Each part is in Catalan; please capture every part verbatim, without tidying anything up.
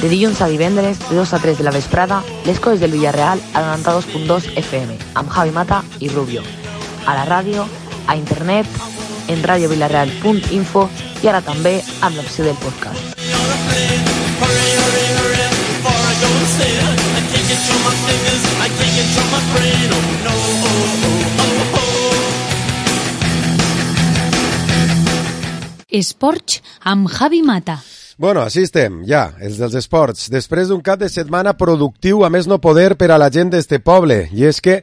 De dilluns a divendres, de dos a tres de la vesprada, les coses del Villarreal a noranta-dos punt dos F M, amb Javi Mata i Rubio. A la ràdio, a internet, en radio villarreal punt info i ara també amb l'opció del podcast. Esports amb Javi Mata. Bueno, així estem, ja, els dels esports. Després d'un cap de setmana productiu, a més no poder per a la gent d'este poble. I és que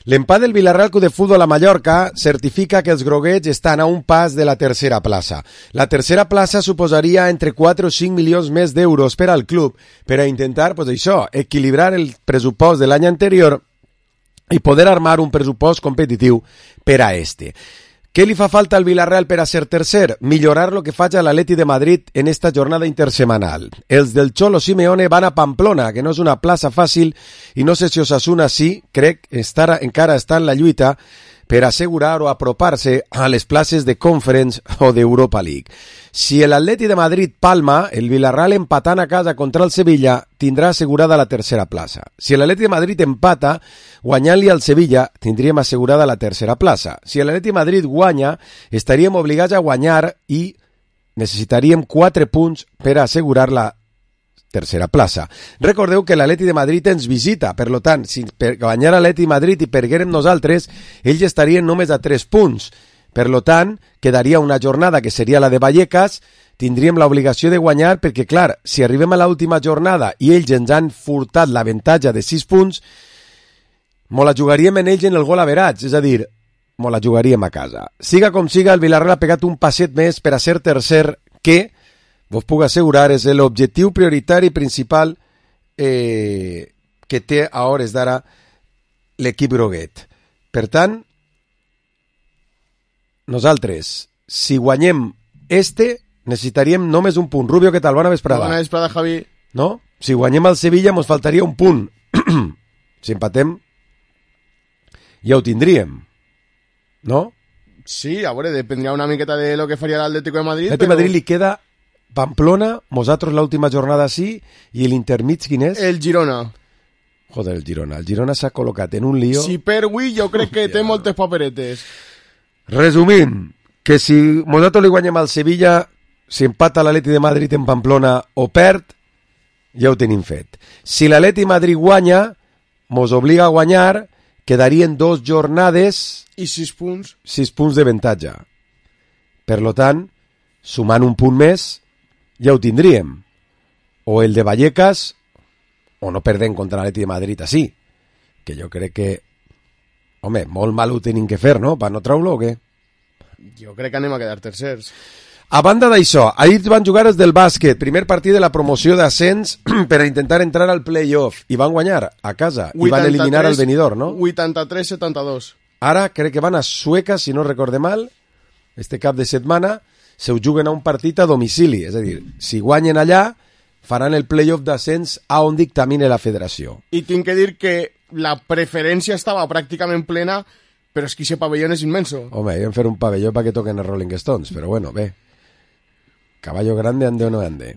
l'empat del Villarreal Club de Futbol a Mallorca certifica que els groguets estan a un pas de la tercera plaça. La tercera plaça suposaria entre quatre o cinc milions més d'euros per al club per a intentar, pues això, equilibrar el pressupost de l'any anterior i poder armar un pressupost competitiu per a este. Què li fa falta al Villarreal per a ser tercer? Millorar lo que faig a l'Atleti de Madrid en esta jornada intersemanal. Els del Cholo Simeone van a Pamplona, que no és una plaça fàcil, i no sé si Osasuna sí, crec, estar, encara està en la lluita per assegurar o apropar-se a les places de Conference o d'Europa League. Si l'Atleti de Madrid palma, el Villarreal empatant a casa contra el Sevilla tindrà assegurada la tercera plaça. Si l'Atleti de Madrid empata, guanyant-li al Sevilla, tindríem assegurada la tercera plaça. Si l'Atleti de Madrid guanya, estaríem obligats a guanyar i necessitaríem quatre punts per a assegurar la tercera plaça. Recordeu que l'Atleti de Madrid ens visita, per lo tant, si per guanyar l'Atleti de Madrid i perguérem nosaltres, ells estarien només a tres punts. Per lo tant, quedaria una jornada que seria la de Vallecas, tindríem l'obligació de guanyar perquè, clar, si arribem a l'última jornada i ells ens han furtat l'avantatge de sis punts, mo la jugaríem en ells en el gol average, és a dir, mo la jugaríem a casa. Siga com siga, el Villarreal ha pegat un passet més per a ser tercer que, vos puc assegurar, és l'objectiu prioritari principal eh, que té a hores d'ara l'equip groguet. Per tant, nosaltres, si guanyem este, necessitaríem només un punt. Rubio, què tal? Bona vesprada. Bona vesprada, Javi. No? Si guanyem el Sevilla, mos faltaria un punt. Si empatem, ja ho tindríem. No? Sí, a veure, dependria una miqueta de lo que faria l'Atlético de Madrid. L'Atlético però... de Madrid li queda Pamplona, nosaltres l'última jornada sí, i l'intermig quin és? El Girona. Joder, el Girona. El Girona s'ha col·locat en un lío. Si per avui jo crec que té moltes paperetes. Resumint, que si nosaltres li guanyem al Sevilla, si empata l'Atleti de Madrid en Pamplona o perd, ja ho tenim fet. Si l'Atleti de Madrid guanya, mos obliga a guanyar, quedarien dos jornades... I sis punts. Sis punts d'avantatge. Per lo tant, sumant un punt més, ja ho tindríem. O el de Vallecas, o no perdem contra l'Atleti de Madrid així. Que jo crec que, home, molt mal ho tenim que fer, no? Per no treure-lo o què? Jo crec que anem a quedar tercers. A banda d'això, ahir van jugar els del bàsquet, primer partit de la promoció d'ascens per a intentar entrar al play-off, i van guanyar a casa, i van eliminar el Benidorm, no? vuitanta-tres a setanta-dos. Ara crec que van a Sueca, si no recorde mal, este cap de setmana, se ho juguen a un partit a domicili, és a dir, si guanyen allà, faran el play-off d'ascens a on dictamine la federació. I tinc que dir que la preferència estava pràcticament plena, però és que aquest pavelló és immenso. Home, hem fer un pavelló perquè toquen els Rolling Stones, però bueno, bé. Caballo grande, ande o no ande.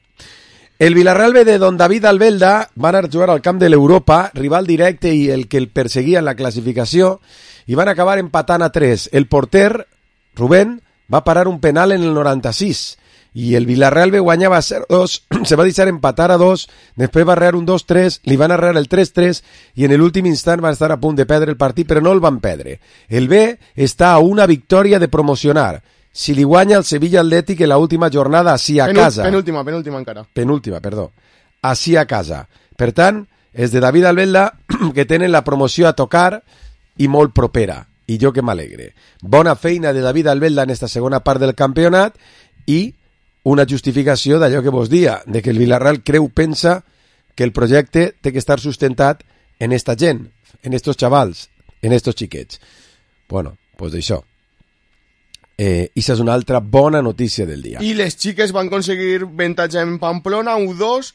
El Villarreal B de Don David Albelda van a jugar al camp de l'Europa, rival directe i el que el perseguia en la classificació, i van acabar empatant a tres. El porter, Rubén, va parar un penal en el noranta-sis, i el Villarreal B guanyava zero dos, se va deixar empatar a dos, després va arrear un dos tres, li van arrear el tres tres, i en l'últim instant van estar a punt de perdre el partit, però no el van perdre. El B està a una victòria de promocionar. Si li guanya el Sevilla Atlètic en l'última jornada així a Penú, casa. Penúltima, penúltima encara. Penúltima, perdó. Així a casa. Per tant, és de David Albelda que tenen la promoció a tocar i molt propera. I jo que m'alegre. Bona feina de David Albelda en esta segona part del campionat i una justificació d'allò que vos dia, de que el Villarreal creu, pensa que el projecte té que estar sustentat en esta gent, en estos xavals, en estos xiquets. Bueno, pues d'això. Eh, i és una altra bona notícia del dia. I les xiques van aconseguir avantatge en Pamplona, u dos,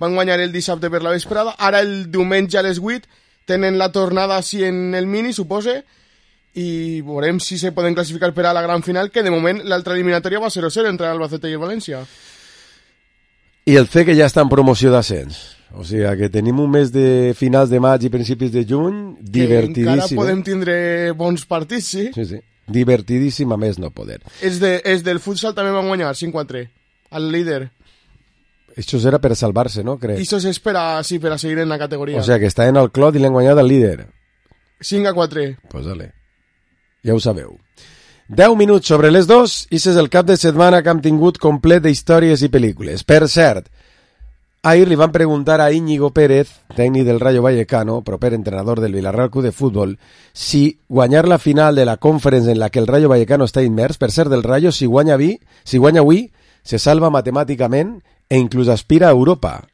van guanyar el dissabte per la vesprada, ara el diumenge a les vuit tenen la tornada així en el mini, supose, i veurem si se poden classificar per a la gran final, que de moment l'altra eliminatòria va zero zero entre Albacete i el València. I el C que ja està en promoció d'ascens. O sigui que tenim un mes de finals de maig i principis de juny divertidíssim. Que encara podem tindre bons partits, sí? Sí, sí. Divertidíssim a més no poder. Els, de, els del futsal també van guanyar cinc quatre al líder. Això era per a salvar-se, no? Crec. I això és per a, sí, per a seguir en la categoria. O sigui que està en el clot i l'han guanyat al líder. cinc a quatre. Pues dale. Ja ho sabeu. deu minuts sobre les dos i és el cap de setmana que hem tingut complet d'històries i pel·lícules. Per cert, ahir li van preguntar a Íñigo Pérez, tècnic del Rayo Vallecano, proper entrenador del Villarreal Club de Fútbol, si guanyar la final de la Conference en la que el Rayo Vallecano està immers, per ser del Rayo, si guanya avui, si guanya avui, se salva matemàticament e inclús aspira a Europa.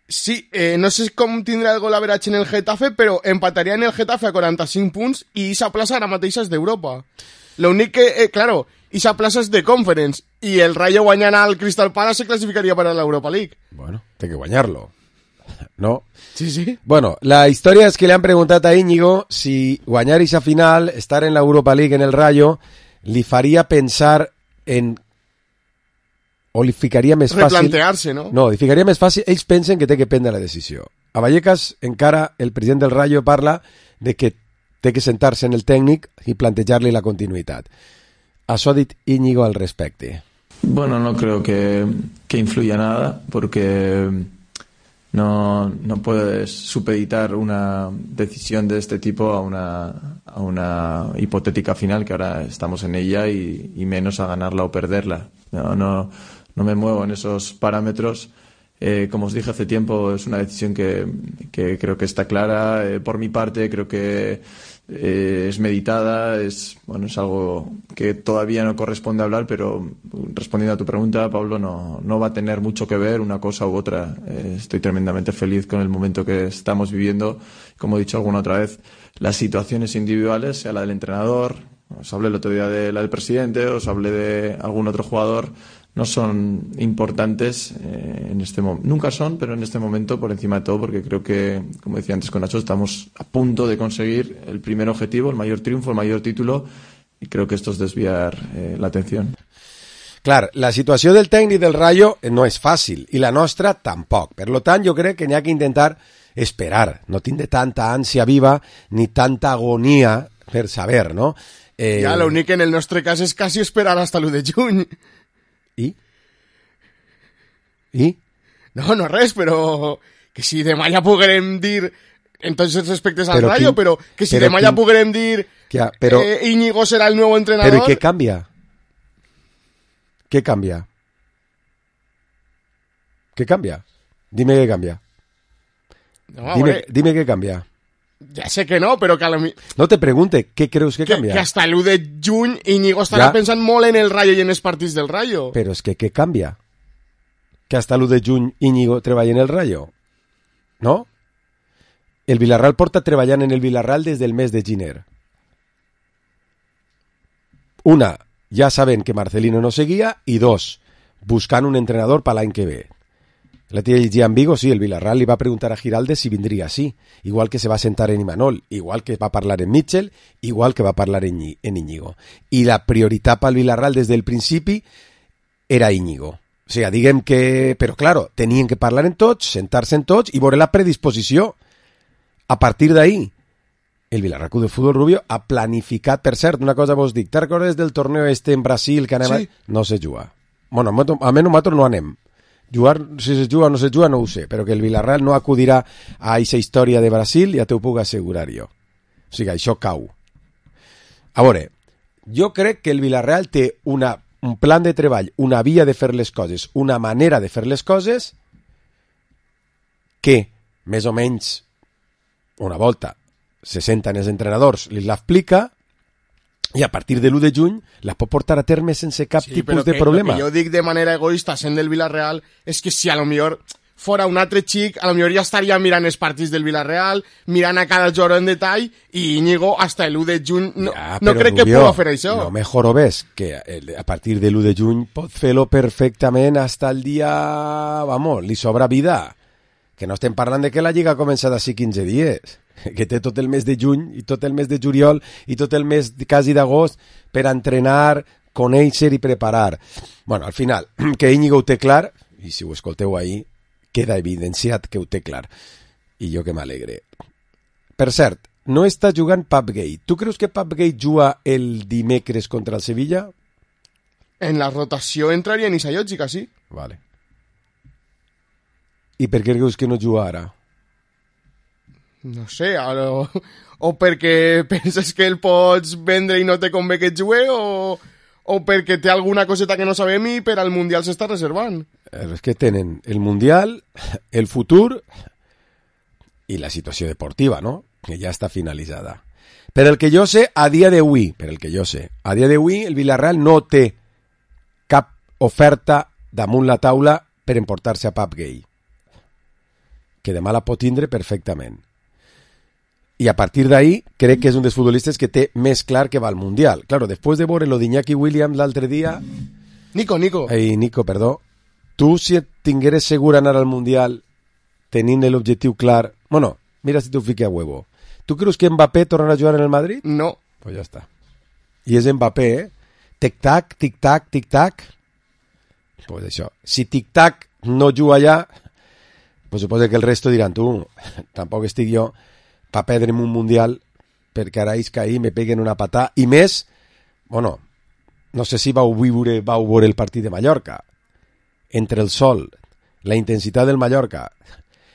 Sí, eh, no sé com tindrà el gol average en el Getafe, però empataria en el Getafe a quaranta-cinc punts i esa plaça ara mateix és d'Europa. L'únic que, eh, claro, esa plaça és de Conference i el Rayo guanyant al Crystal Palace se clasificaria per a l'Europa League. Bueno, té que guanyar-lo, ¿no? Sí, sí. Bueno, la història és que li han preguntat a Íñigo si guanyar esa final, estar en l'Europa League en el Rayo, li faria pensar en... o li ficaria més fàcil... Replantear-se, no? No, li ficaria més fàcil... Ells pensen que té que prendre la decisió. A Vallecas, encara, el president del Rayo parla de que té que sentar-se en el tècnic i plantejar-li la continuïtat. Això ha dit Íñigo al respecte. Bueno, no creo que, que influya nada, porque no, no puedes supeditar una decisión de este tipo a una, a una hipotética final, que ahora estamos en ella, y, y menos a ganarla o perderla. No, no, no me muevo en esos parámetros. Eh, como os dije hace tiempo, es una decisión que, que creo que está clara. Eh, por mi parte, creo que eh, es meditada, es, bueno, es algo que todavía no corresponde hablar, pero respondiendo a tu pregunta, Pablo, no, no va a tener mucho que ver una cosa u otra. Eh, estoy tremendamente feliz con el momento que estamos viviendo. Como he dicho alguna otra vez, las situaciones individuales, sea la del entrenador, os hablé el otro día de la del presidente, os hablé de algún otro jugador, no son importantes eh, en este momento. Nunca son, pero en este momento por encima de todo, porque creo que, como decía antes con Nacho, estamos a punto de conseguir el primer objetivo, el mayor triunfo, el mayor título, y creo que esto es desviar eh, la atención. Clar, la situació del tècnic del Rayo no és fàcil, i la nostra tampoc. Per lo tant, jo crec que n'hi ha que intentar esperar, no tindre tanta ànsia viva ni tanta agonia per saber, no? Eh... Ja, l'únic que en el nostre cas és quasi esperar hasta l'u de juny. I? I? No, no res, però que si demà ja poguerem dir en tots els respectes al però Rayo, quin, però que si però demà quin, ja poguerem dir que, però, eh, Íñigo serà el nou entrenador... Però què canvia? Què canvia? Què canvia? Dime què canvia. No, dime, hombre, dime què canvia. Ja sé que no, però que a la... No te pregunte, què creus que, que canvia? Que hasta l'u de juny Íñigo estarà ja. pensant molt en el Rayo i en els partits del Rayo. Però és que què canvia? Que hasta l'u de juny Íñigo treballa en el Rayo? No? El Villarreal porta treballant en el Villarreal des del mes de gener. Una, ja saben que Marcelino no seguia, i dos, buscant un entrenador per l'any que ve. La tía en Vigo, sí, el Villarreal li va preguntar a Giraldes si vindria así, igual que se va sentar en Imanol, igual que va parlar en Mitchell, igual que va parlar en, en Íñigo. I la prioritat pel Villarreal des del principi era Íñigo. O sigui, diguem que... Però, claro, tenien que parlar en tots, sentar-se en tots i veure la predisposició. A partir d'ahí, el Villarreal Club de Fútbol Rubio ha planificat, per cert, una cosa vos dic, te'n recordes del torneo este en Brasil que anem sí. a... No se juga. Bueno, almenys nosaltres no anem. Jugar, si se juga o no se juga, no ho sé, però que el Villarreal no acudirà a aquesta història de Brasil, ja t'ho puc assegurar jo. O sigui, això cau. A veure, jo crec que el Villarreal té una, un plan de treball, una via de fer les coses, una manera de fer les coses que, més o menys, una volta, se senten els entrenadors, li l'explica, i a partir de l'u de juny la pot portar a terme sense cap sí, tipus que, de problema. Però que jo dic de manera egoista, sent del Villarreal, és que si a lo millor fora un altre xic, a lo millor ja estaria mirant els partits del Villarreal, mirant a cada jugador en detall, i Íñigo hasta l'u de juny no, ja, no crec Rubio, que pugui fer això. No me jorobes, que a partir de l'u de juny pot fer-lo perfectament hasta el dia... Vamos, li sobra vida. Que no estem parlant de que la Lliga ha començat d'ací quinze dies. Que té tot el mes de juny i tot el mes de juliol i tot el mes quasi d'agost per entrenar, conèixer i preparar. Bueno, al final, que Íñigo ho té clar, i si ho escolteu ahir, queda evidenciat que ho té clar. I jo que m'alegre. Per cert, no està jugant Papgate. Tu creus que Papgate juga el dimecres contra el Sevilla? En la rotació entraria en Isayògica, sí. Vale. I per què creus que no juga ara? No sé, ara... o perquè penses que el pots vendre i no te convé que et jugui, o, o perquè té alguna coseta que no sabem i per al Mundial s'està reservant. És que tenen el Mundial, el futur i la situació deportiva, no? Que ja està finalitzada. Per el que jo sé, a dia d'avui, per el que jo sé, a dia d'avui el Villarreal no té cap oferta damunt la taula per emportar-se a Pap Gay, que demà la pot tindre perfectament. I a partir d'ahí crec que és un dels futbolistes que té més clar que va al Mundial. Claro, després de veure lo d'Iñaki Williams l'altre dia... Nico, Nico. Ei, Nico, perdó. Tu, si et tingueres segur anar al Mundial tenint l'objectiu clar... Bueno, mira si t'ho fique a huevo. Tu creus que Mbappé tornarà a jugar en el Madrid? No. Pues ja està. I és Mbappé, eh? Tic-tac, tic-tac, tic-tac. Pues això. Si tic-tac no juga allà, pues suposa que el resto diran, tu, tampoc estic jo pa perdre'm un Mundial perquè ara és que ahir me peguen una patà. I més, bueno, no sé si vau viure, vau veure el partit de Mallorca. Entre el sol, la intensitat del Mallorca,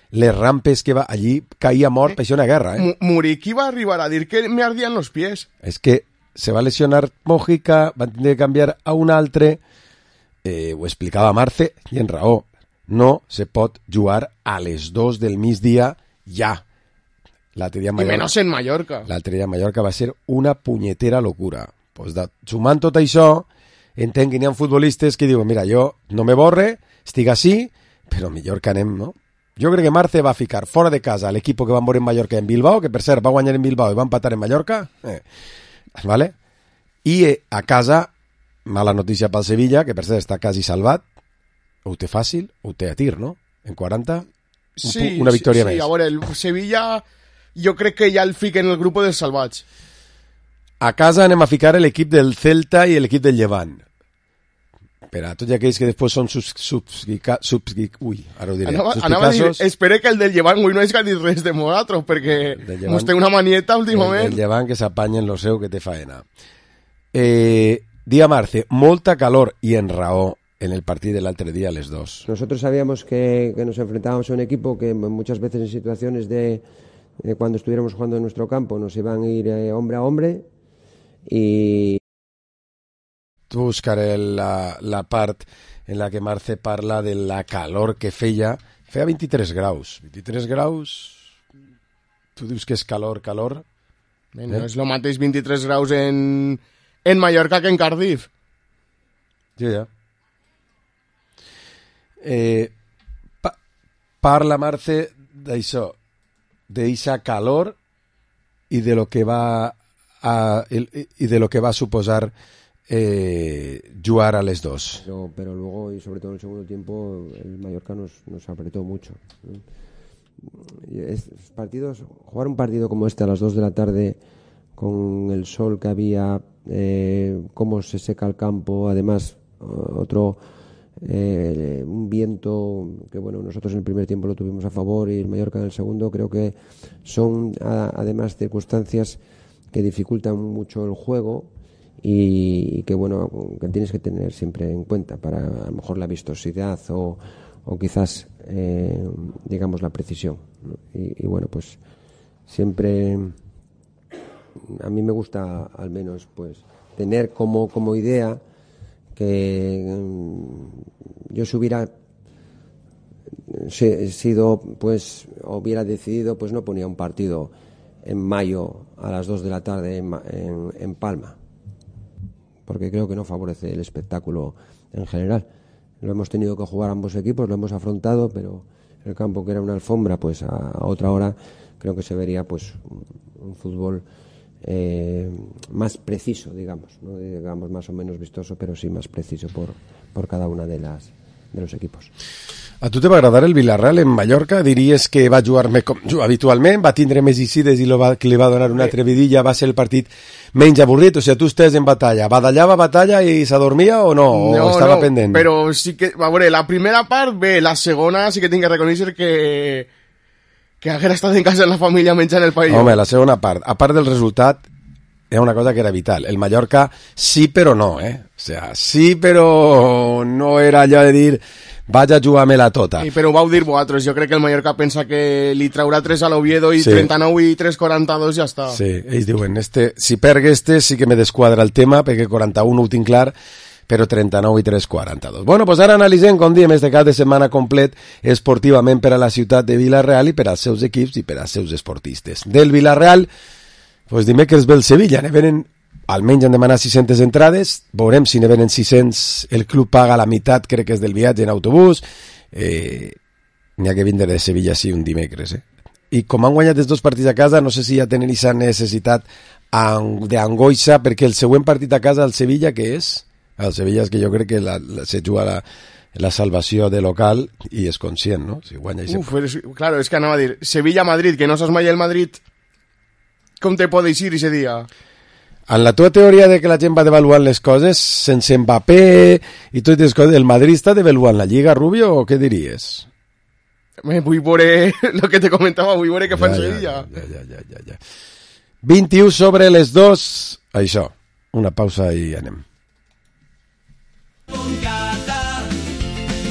les rampes que va... Allí caía mort, eh, per una guerra, eh? Muriqui va arribar a dir que me ardían los pies. És que se va lesionar Mojica, van tindre que canviar a un altre, eh, ho explicava Marce, i en raó, no se pot jugar a les dos del migdia ja. L'altre dia a Mallorca, I menys en Mallorca. L'altre dia a Mallorca va ser una punyetera locura. Pues da, sumant tot això, entenc que n'hi ha futbolistes que diuen, mira, jo no me borre, estic així, però millor que anem, no? Jo crec que Marce va ficar fora de casa l'equip que van veure en Mallorca en Bilbao, que per cert va guanyar en Bilbao i va empatar en Mallorca, eh, ¿vale? I eh, a casa, mala notícia pel Sevilla, que per cert està quasi salvat, ho té fàcil, ho té a tir, no? En quaranta, un sí, una victòria sí, més. Sí, a veure, el Sevilla jo crec que ja el fiquen en el grup dels salvats. A casa anem a ficar l'equip del Celta i l'equip del Llevant. Per a tots aquells que després són subs, subs, subs, ui, ara ho diré, anava, anava a dir, espero que el del Llevant avui no és que dit res de nosaltres, perquè mos té una manieta últimament. El, el Llevant que s'apanyen lo seu que té faena. Eh, dia Marce, molta calor i en raó en el partido del otro día a les dos. Nosotros sabíamos que, que nos enfrentábamos a un equipo que muchas veces en situaciones de, de cuando estuviéramos jugando en nuestro campo nos iban a ir eh, hombre a hombre y... Tu buscaré la, la part en la que Marce parla de la calor que feia. Feia vint-i-tres graus. vint-i-tres graus... Tu dius que és calor, calor? Eh, no és el mateix vint-i-tres graus en, en Mallorca que en Cardiff. Ja, ja. Eh, pa parla Marce d'això, d'eixa calor i de lo que va a, el, i de lo que va suposar eh, jugar a les dos. Pero, pero luego, y sobre todo en el segundo tiempo, el Mallorca nos, nos apretó mucho, ¿no? Es, partidos, jugar un partido como este a las dos de la tarde con el sol que había, eh, cómo se seca el campo, además otro eh, un viento que bueno, nosotros en el primer tiempo lo tuvimos a favor y el Mallorca en el segundo, creo que son a, además circunstancias que dificultan mucho el juego y, y que bueno, que tienes que tener siempre en cuenta para a lo mejor la vistosidad o, o quizás eh, digamos la precisión, ¿no? y, y bueno, pues siempre a mí me gusta al menos pues tener como, como idea que yo si hubiera sido pues hubiera decidido pues no ponía un partido en mayo a las dos de la tarde en, en, en Palma, porque creo que no favorece el espectáculo en general. Lo hemos tenido que jugar ambos equipos, lo hemos afrontado, pero el campo que era una alfombra pues a, a otra hora creo que se vería pues un, un fútbol Eh, más preciso, digamos, no digamos más o menos vistoso, pero sí más preciso por, por cada una de las de los equipos. A tu te va agradar el Villarreal en Mallorca? Diries que va jugar-me com juga habitualment, va tindre més icides i lo va, que li va donar una trevidilla, va ser el partit menys avorrit? O sigui, tu estàs en batalla, badallava batalla i s'adormia o no? O no, estava no, pendent? Però sí que, a veure, la primera part bé, la segona sí que tinc que reconèixer que que haguera estat en casa de la família menjant el paelló. Home, la segona part, a part del resultat, era una cosa que era vital. El Mallorca sí però no, eh? O sea, sí però no era allò de dir vaig a jugar-me-la tota. Sí, però ho vau dir vosaltres, jo crec que el Mallorca pensa que li traurà tres a l'Oviedo i sí. trenta-nou i tres quaranta-dos ja està. Sí, ells diuen, este, si perg este sí que me desquadra el tema, perquè quaranta-un ho tinc clar, però trenta-nou i tres quaranta-dos. Bueno, pues ara analitzem, com diem, este cap de setmana complet esportivament per a la ciutat de Villarreal i per als seus equips i per als seus esportistes. Del Villarreal, pues dimecres ve el Sevilla, ne venen, almenys han demanat sis-centes entrades, veurem si ne venen sis-cents, el club paga la meitat, crec que és del viatge en autobús, eh, n'hi ha que vindre de Sevilla sí un dimecres, eh? I com han guanyat els dos partits a casa, no sé si ja tenen aquesta necessitat d'angoixa, perquè el següent partit a casa, el Sevilla, què és? El Sevilla és que jo crec que la, la, se juga la, la salvació de local i és conscient, no? Si guanya i se... Uf, és, claro, és que anava a dir, Sevilla-Madrid, que no saps mai el Madrid, com te pot eixir ese dia? En la teva teoria de que la gent va devaluant les coses, sense Mbappé i totes les coses, el Madrid està devaluant la Lliga, Rubio, o què diries? Me vull veure el que te comentava, vull veure què fa en Sevilla. Ja, ja, ja, ja, ja. vint-i-u sobre les dos, això, una pausa i anem. Boncata,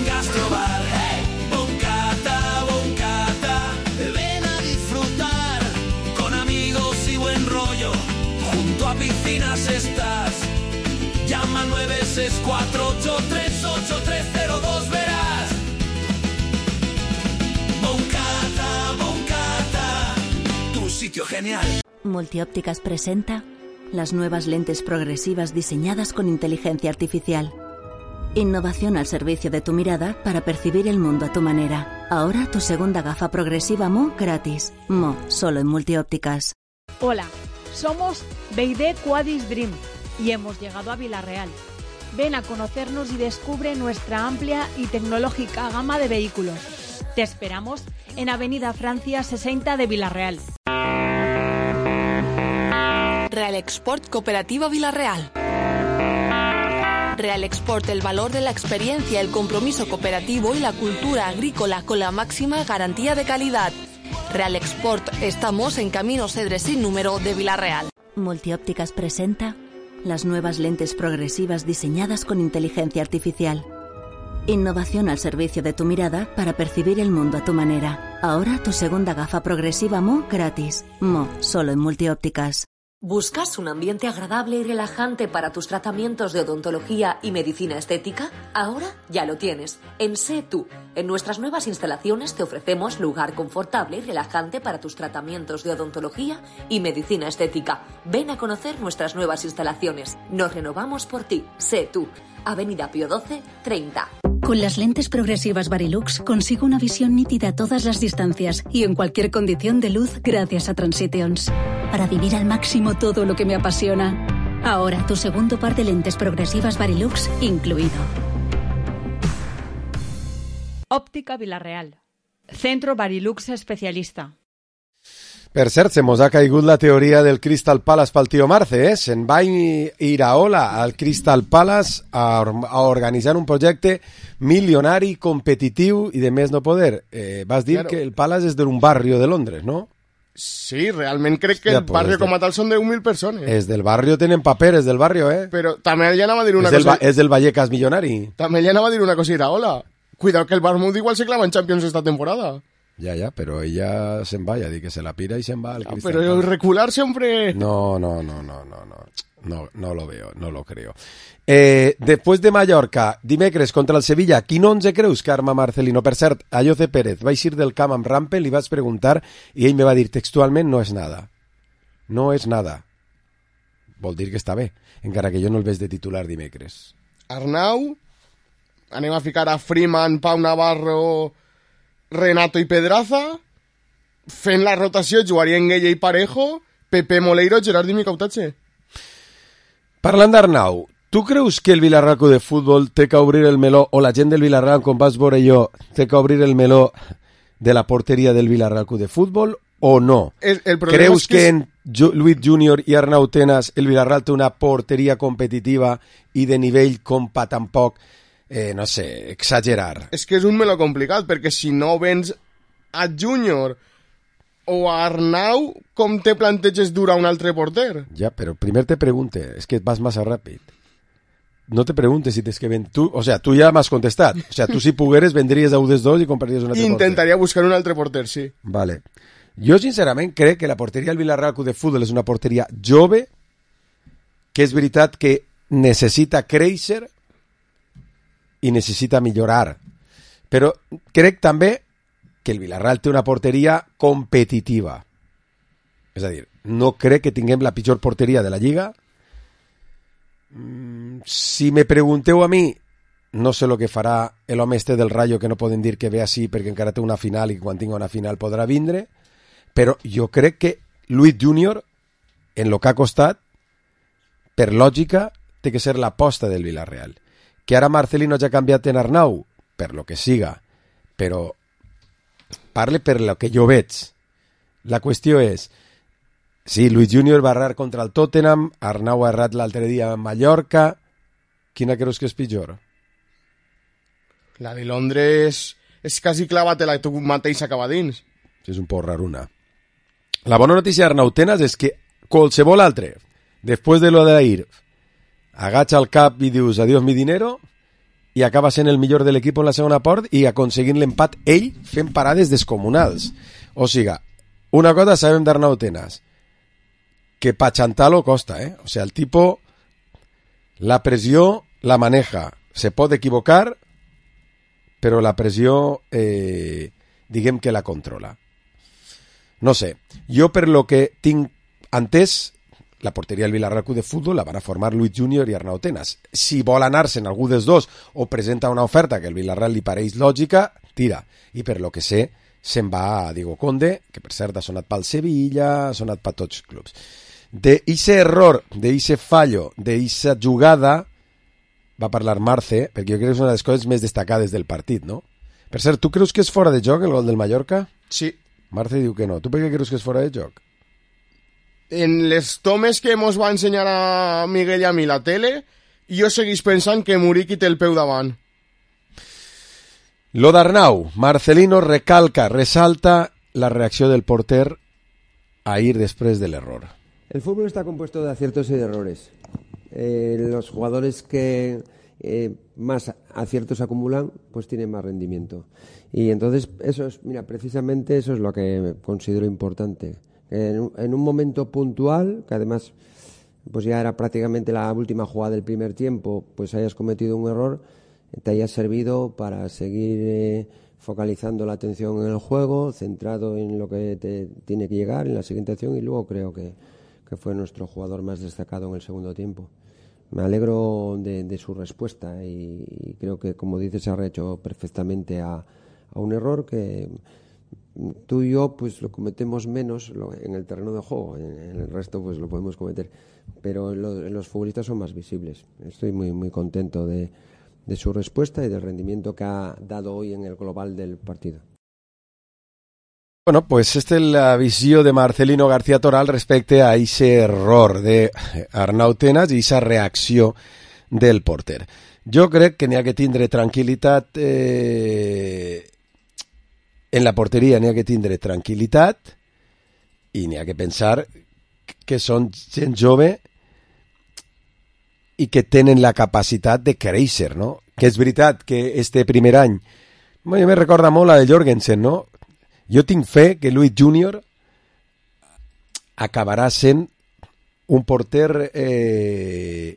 Gastrobar, hey, Boncata, Boncata, ven a disfrutar con amigos y buen rollo, junto a piscinas estás, llama al nueve seis cuatro ocho tres ocho tres cero dos, verás. Boncata, Boncata, tu sitio genial. Multiópticas presenta las nuevas lentes progresivas diseñadas con inteligencia artificial. Innovación al servicio de tu mirada para percibir el mundo a tu manera. Ahora tu segunda gafa progresiva Mo gratis. Mo, solo en Multiópticas. Hola, somos Beide Quadis Dream y hemos llegado a Villarreal. Ven a conocernos y descubre nuestra amplia y tecnológica gama de vehículos. Te esperamos en Avenida Francia sesenta de Villarreal. Real Export Cooperativa Villarreal. Real Export, el valor de la experiencia, el compromiso cooperativo y la cultura agrícola con la máxima garantía de calidad. Real Export, estamos en Camino Cedres sin número de Villarreal. Multiópticas presenta las nuevas lentes progresivas diseñadas con inteligencia artificial. Innovación al servicio de tu mirada para percibir el mundo a tu manera. Ahora tu segunda gafa progresiva Mo gratis. Mo, solo en Multiópticas. ¿Buscas un ambiente agradable y relajante para tus tratamientos de odontología y medicina estética? Ahora ya lo tienes. En Sé Tú. En nuestras nuevas instalaciones te ofrecemos lugar confortable y relajante para tus tratamientos de odontología y medicina estética. Ven a conocer nuestras nuevas instalaciones. Nos renovamos por ti. Sé Tú. Avenida Pío doce, treinta. Con las lentes progresivas Varilux consigo una visión nítida a todas las distancias y en cualquier condición de luz gracias a Transitions. Para vivir al máximo todo lo que me apasiona. Ahora tu segundo par de lentes progresivas Varilux incluido. Óptica Villarreal. Centro Varilux especialista. Per cert, se mos ha caigut la teoria del Crystal Palace pel tio Marce, eh? Se'n va Iraola al Crystal Palace a, a organitzar un projecte milionari, competitiu i de més no poder. Eh, vas dir claro. Que el Palace és d'un barri de Londres, no? Sí, realment crec que ja, el barri com a tal són de mil persones. És del barri, tenen paperes del barri, eh? Però també ja anava a dir una és cosa... Del, és del Vallecas milionari. També ja anava a dir una cosa Iraola. Cuidado que el Bournemouth igual se clava en Champions esta temporada. Ya, ya, pero ella se va, ya di que se la pira y se va al no, Pero Palace. Recular siempre... No, no, no, no, no, no, no, no lo veo, no lo creo. Eh, después de Mallorca, dimecres contra el Sevilla, quin onze creus que arma Marcelino? Per cert, a Jose Pérez vaig ir del camp amb Rampel, li vaig preguntar i ell me va dir textualment no és nada. No és nada. Vol dir que està bé, encara que jo no el veig de titular dimecres. Arnau, anem a ficar a Freeman, Pau Navarro... Renato i Pedraza, fent la rotació jugarien Gueye i Parejo, Pepe Moleiro, Gerard i Micautache. Parlant d'Arnau, Tu creus que el Villarreal Club de Futbol té que obrir el meló, o la gent del Villarreal, com vas veure jo, té que obrir el meló de la porteria del Villarreal Club de Futbol o no? El, el Creus és que, que en jo, Luis Junior i Arnau Tenas el Villarreal té una porteria competitiva i de nivell com pa tampoc, eh, no sé, exagerar? És que és un meló complicat, perquè si no vens a Junior o a Arnau, com te planteges dur a un altre porter? Ja, però primer te pregunte, és que vas massa ràpid. No te preguntes si tens que vendre... Tu, o sea, tu ja m'has contestat. O sea, tu si pogueres vendries a U D dos i compraries un altre porter. Intentaria buscar un altre porter, sí. Vale. Jo, sincerament, crec que la porteria del Villarreal Club de Futbol és una porteria jove, que és veritat que necessita créixer i necessita millorar. Però crec també que el Villarreal té una porteria competitiva. És a dir, no crec que tinguem la pitjor porteria de la Lliga. Si me pregunteu a mi, no sé el que farà l'home este del Rayo, que no poden dir que ve així perquè encara té una final i que quan tingui una final podrà vindre, però jo crec que Luis Junior, en lo que ha costat, per lògica, té que ser l'aposta del Villarreal. Que ara Marcelino ja ha canviat en Arnau, per lo que siga, però parle per lo que jo veig. La qüestió és, sí, Luis Junior va errar contra el Tottenham, Arnau ha errat l'altre dia a Mallorca. Quina creus que és pitjor? La de Londres és quasi clava-te-la tu mateix acaba dins. Sí, és un poc raruna. La bona notícia d'Arnau Tenas és que qualsevol altre, després de lo d'ahir, agacha el cap i dius adiós mi dinero i acaba sent el millor de l'equip en la segona part i aconseguint l'empat ell fent parades descomunals. O siga, una cosa sabem d'Arnau Tenas, que pa xantar-lo costa, eh? O sea, el tipo, la pressió la maneja. Se pot equivocar, però la pressió, eh, diguem que la controla. No sé, jo per lo que tinc entès, la porteria del Villarreal Club de Futbol la van a formar Luis Junior i Arnau Tenas. Si vol anar-se'n algú dels dos o presenta una oferta que el Villarreal li pareix lògica, tira. I per lo que sé, se'n va a Diego Conde, que per cert ha sonat pel Sevilla, ha sonat per tots els clubs. D'eixe error, d'eixe fallo, d'eixa jugada, va parlar Marce, perquè jo crec que és una de les coses més destacades del partit, no? Per cert, tu creus que és fora de joc el gol del Mallorca? Sí. Marce diu que no. Tu per què creus que és fora de joc? En les tomes que mos va ensenyar a Miguel i a mi la tele, jo seguís pensant que Muriqui té el peu davant. Lo d'Arnau, Marcelino recalca, resalta la reacció del porter ahir després de l'error. El fútbol está compuesto de aciertos y de errores. Eh, los jugadores que eh, más aciertos acumulan, pues tienen más rendimiento. Y entonces, eso es, mira, precisamente eso es lo que considero importante. En un, en un momento puntual, que además pues ya era prácticamente la última jugada del primer tiempo, pues hayas cometido un error, te haya servido para seguir eh, focalizando la atención en el juego, centrado en lo que te tiene que llegar en la siguiente acción, y luego creo que, que fue nuestro jugador más destacado en el segundo tiempo. Me alegro de, de su respuesta y, y creo que, como dices, se ha hecho perfectamente a, a un error que tú y yo pues lo cometemos menos en el terreno de juego, en, en el resto pues lo podemos cometer, pero lo, los futbolistas son más visibles. Estoy muy muy contento de, de su respuesta y del rendimiento que ha dado hoy en el global del partido. Bueno, pues esta es la visió de Marcelino García Toral respecte a ese error de Arnau Tenas i esa reacció del porter. Jo crec que n'hi ha que tindre tranquil·litat eh, en la porteria, n'hi ha que tindre tranquil·litat i n'hi ha que pensar que són gent jove i que tenen la capacitat de créixer, no? Que és veritat que este primer any, bueno, me recorda molt la de Jorgensen, no? Jo tinc fe que Luis Junior acabarà sent un porter eh,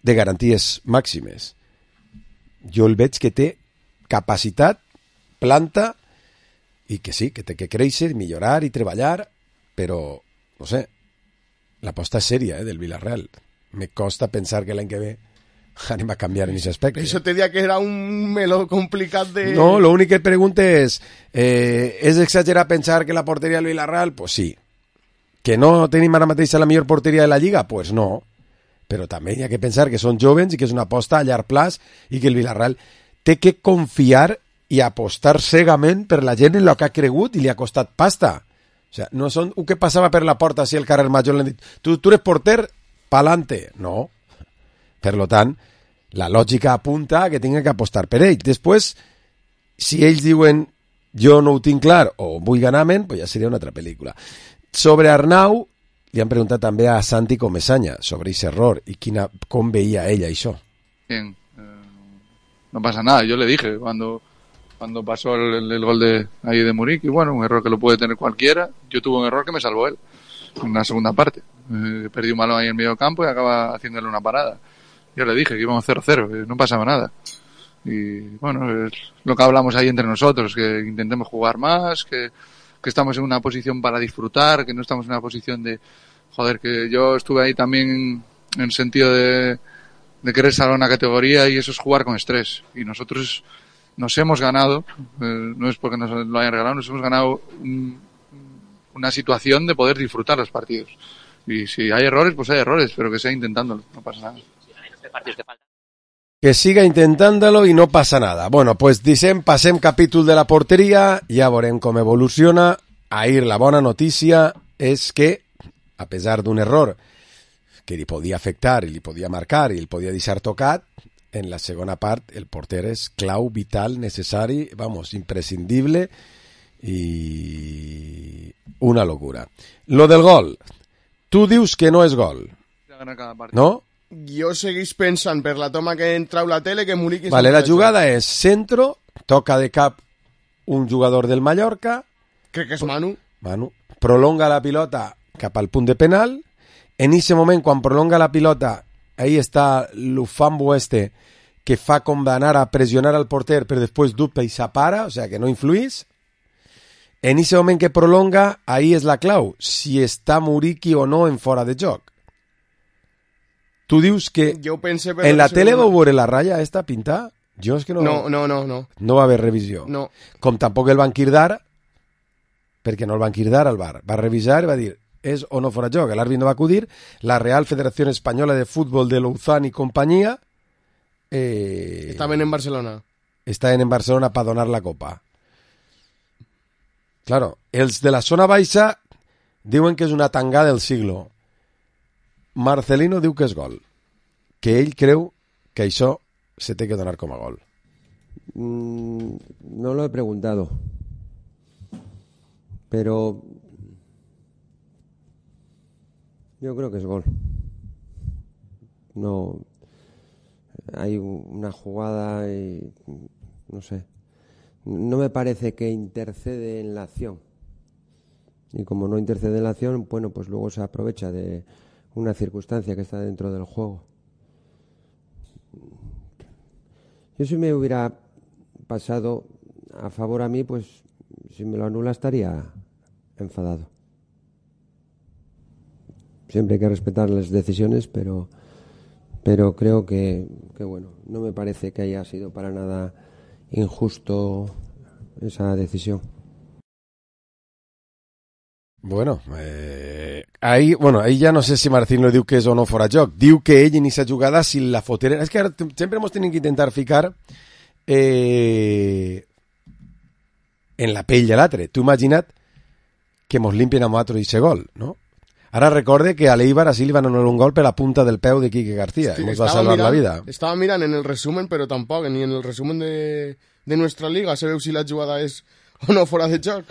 de garanties màximes. Jo el veig que té capacitat, planta, i que sí, que té que créixer, millorar i treballar, però, no sé, l'aposta és sèria eh, del Villarreal. Me costa pensar que l'any que ve anem a canviar en aquest aspecte. Això te dia que era un meló complicat de... No, l'únic que et pregunte és eh, és exagerar pensar que la porteria del Villarreal? Pues sí. Que no tenim ara mateix la millor porteria de la Lliga? Pues no. però també hi ha que pensar que són jovens i que és una aposta a llarg plaç i que el Villarreal té que confiar i apostar cegament per la gent en el que ha cregut i li ha costat pasta. O sea, no són un que passava per la porta si el carrer Major l'han dit, tu, tu eres porter, pa'lante. No. Per lo tant, la lògica apunta a que tinguin que apostar per ell. Després, si ells diuen jo no ho tinc clar o vull ganar-me'n, pues ja seria una altra pel·lícula. Sobre Arnau, li han preguntat també a Santi Comesaña sobre ese error y quina, com veía ella això. Bien, eh, no pasa nada. Yo le dije cuando cuando pasó el, el gol de ahí de Muriqui, bueno, un error que lo puede tener cualquiera. Yo tuve un error que me salvó él en la segunda parte. Eh, perdí un balón ahí en medio campo y acaba haciéndole una parada. Yo le dije que íbamos cero cero, que no pasaba nada. Y bueno, es lo que hablamos ahí entre nosotros, que intentemos jugar más, que, que estamos en una posición para disfrutar, que no estamos en una posición de, joder, que yo estuve ahí también en el sentido de, de querer salvar una categoría y eso es jugar con estrés. Y nosotros nos hemos ganado, eh, no es porque nos lo hayan regalado, nos hemos ganado un, una situación de poder disfrutar los partidos. Y si hay errores, pues hay errores, pero que sea intentándolo, no pasa nada. Que siga intentándolo i no passa nada. Bueno, pues dicem, passem capítol de la porteria, ja veurem com evoluciona. Ahir la bona notícia és que, a pesar d'un error que li podia afectar i li podia marcar i el podia deixar tocat, en la segona part el porter és clau, vital, necessari, vamos, imprescindible i una locura. Lo del gol, tu dius que no és gol, no? Jo seguís pensant per la toma que entrau la tele que Muriqui... Vale, la jugada és centro, toca de cap un jugador del Mallorca... Crec que és Manu. Manu. Prolonga la pilota cap al punt de penal. En ese moment, quan prolonga la pilota, ahí està l'ufambo este que fa com d'anar a pressionar al porter, però després dubta i s'apara, o sea que no influís. En ese moment que prolonga, ahí és la clau, si està Muriqui o no en fora de joc. Tu dius que en la tele vau veure la ratlla esta pintar? Jo és que no... No, no, no. No, no va haver revisió. No. Com tampoc el van quirdar, perquè no el van quirdar al bar. Va revisar i va dir, és o no fora joc. L'àrbit no va acudir. La Real Federación Española de Fútbol de Louzán i companyia... Eh, estaven en Barcelona. Estaven en Barcelona per donar la copa. Claro, els de la zona baixa diuen que és una tangada del siglo. Marcelino diu que és gol, que ell creu que això se té que donar com a gol. Mm, no lo he preguntado, pero yo creo que es gol. No, hay una jugada y no sé, no me parece que intercede en la acción. Y como no intercede en la acción, bueno, pues luego se aprovecha de una circunstancia que está dentro del juego. Yo si me hubiera pasado a favor a mí, pues si me lo anula estaría enfadado. Siempre hay que respetar las decisiones, pero pero creo que, que bueno, no me parece que haya sido para nada injusto esa decisión. Bueno, eh, ahí, bueno, ahí ja no sé si Martín lo diu que és o no fora joc. Diu que ell en aquesta jugada, si la fotera... És que ara sempre hemos tenido que intentar ficar eh, en la pell de l'altre. Tu imagina't que mos limpien a nosaltres i gol, no? Ara recorde que a l'Eibar así li van donar un gol per la punta del peu de Quique García. Sí, mos va salvar mirant, la vida. Estava mirant en el resumen, però tampoc, ni en el resumen de, de nuestra liga se veu si la jugada és o no fora de joc.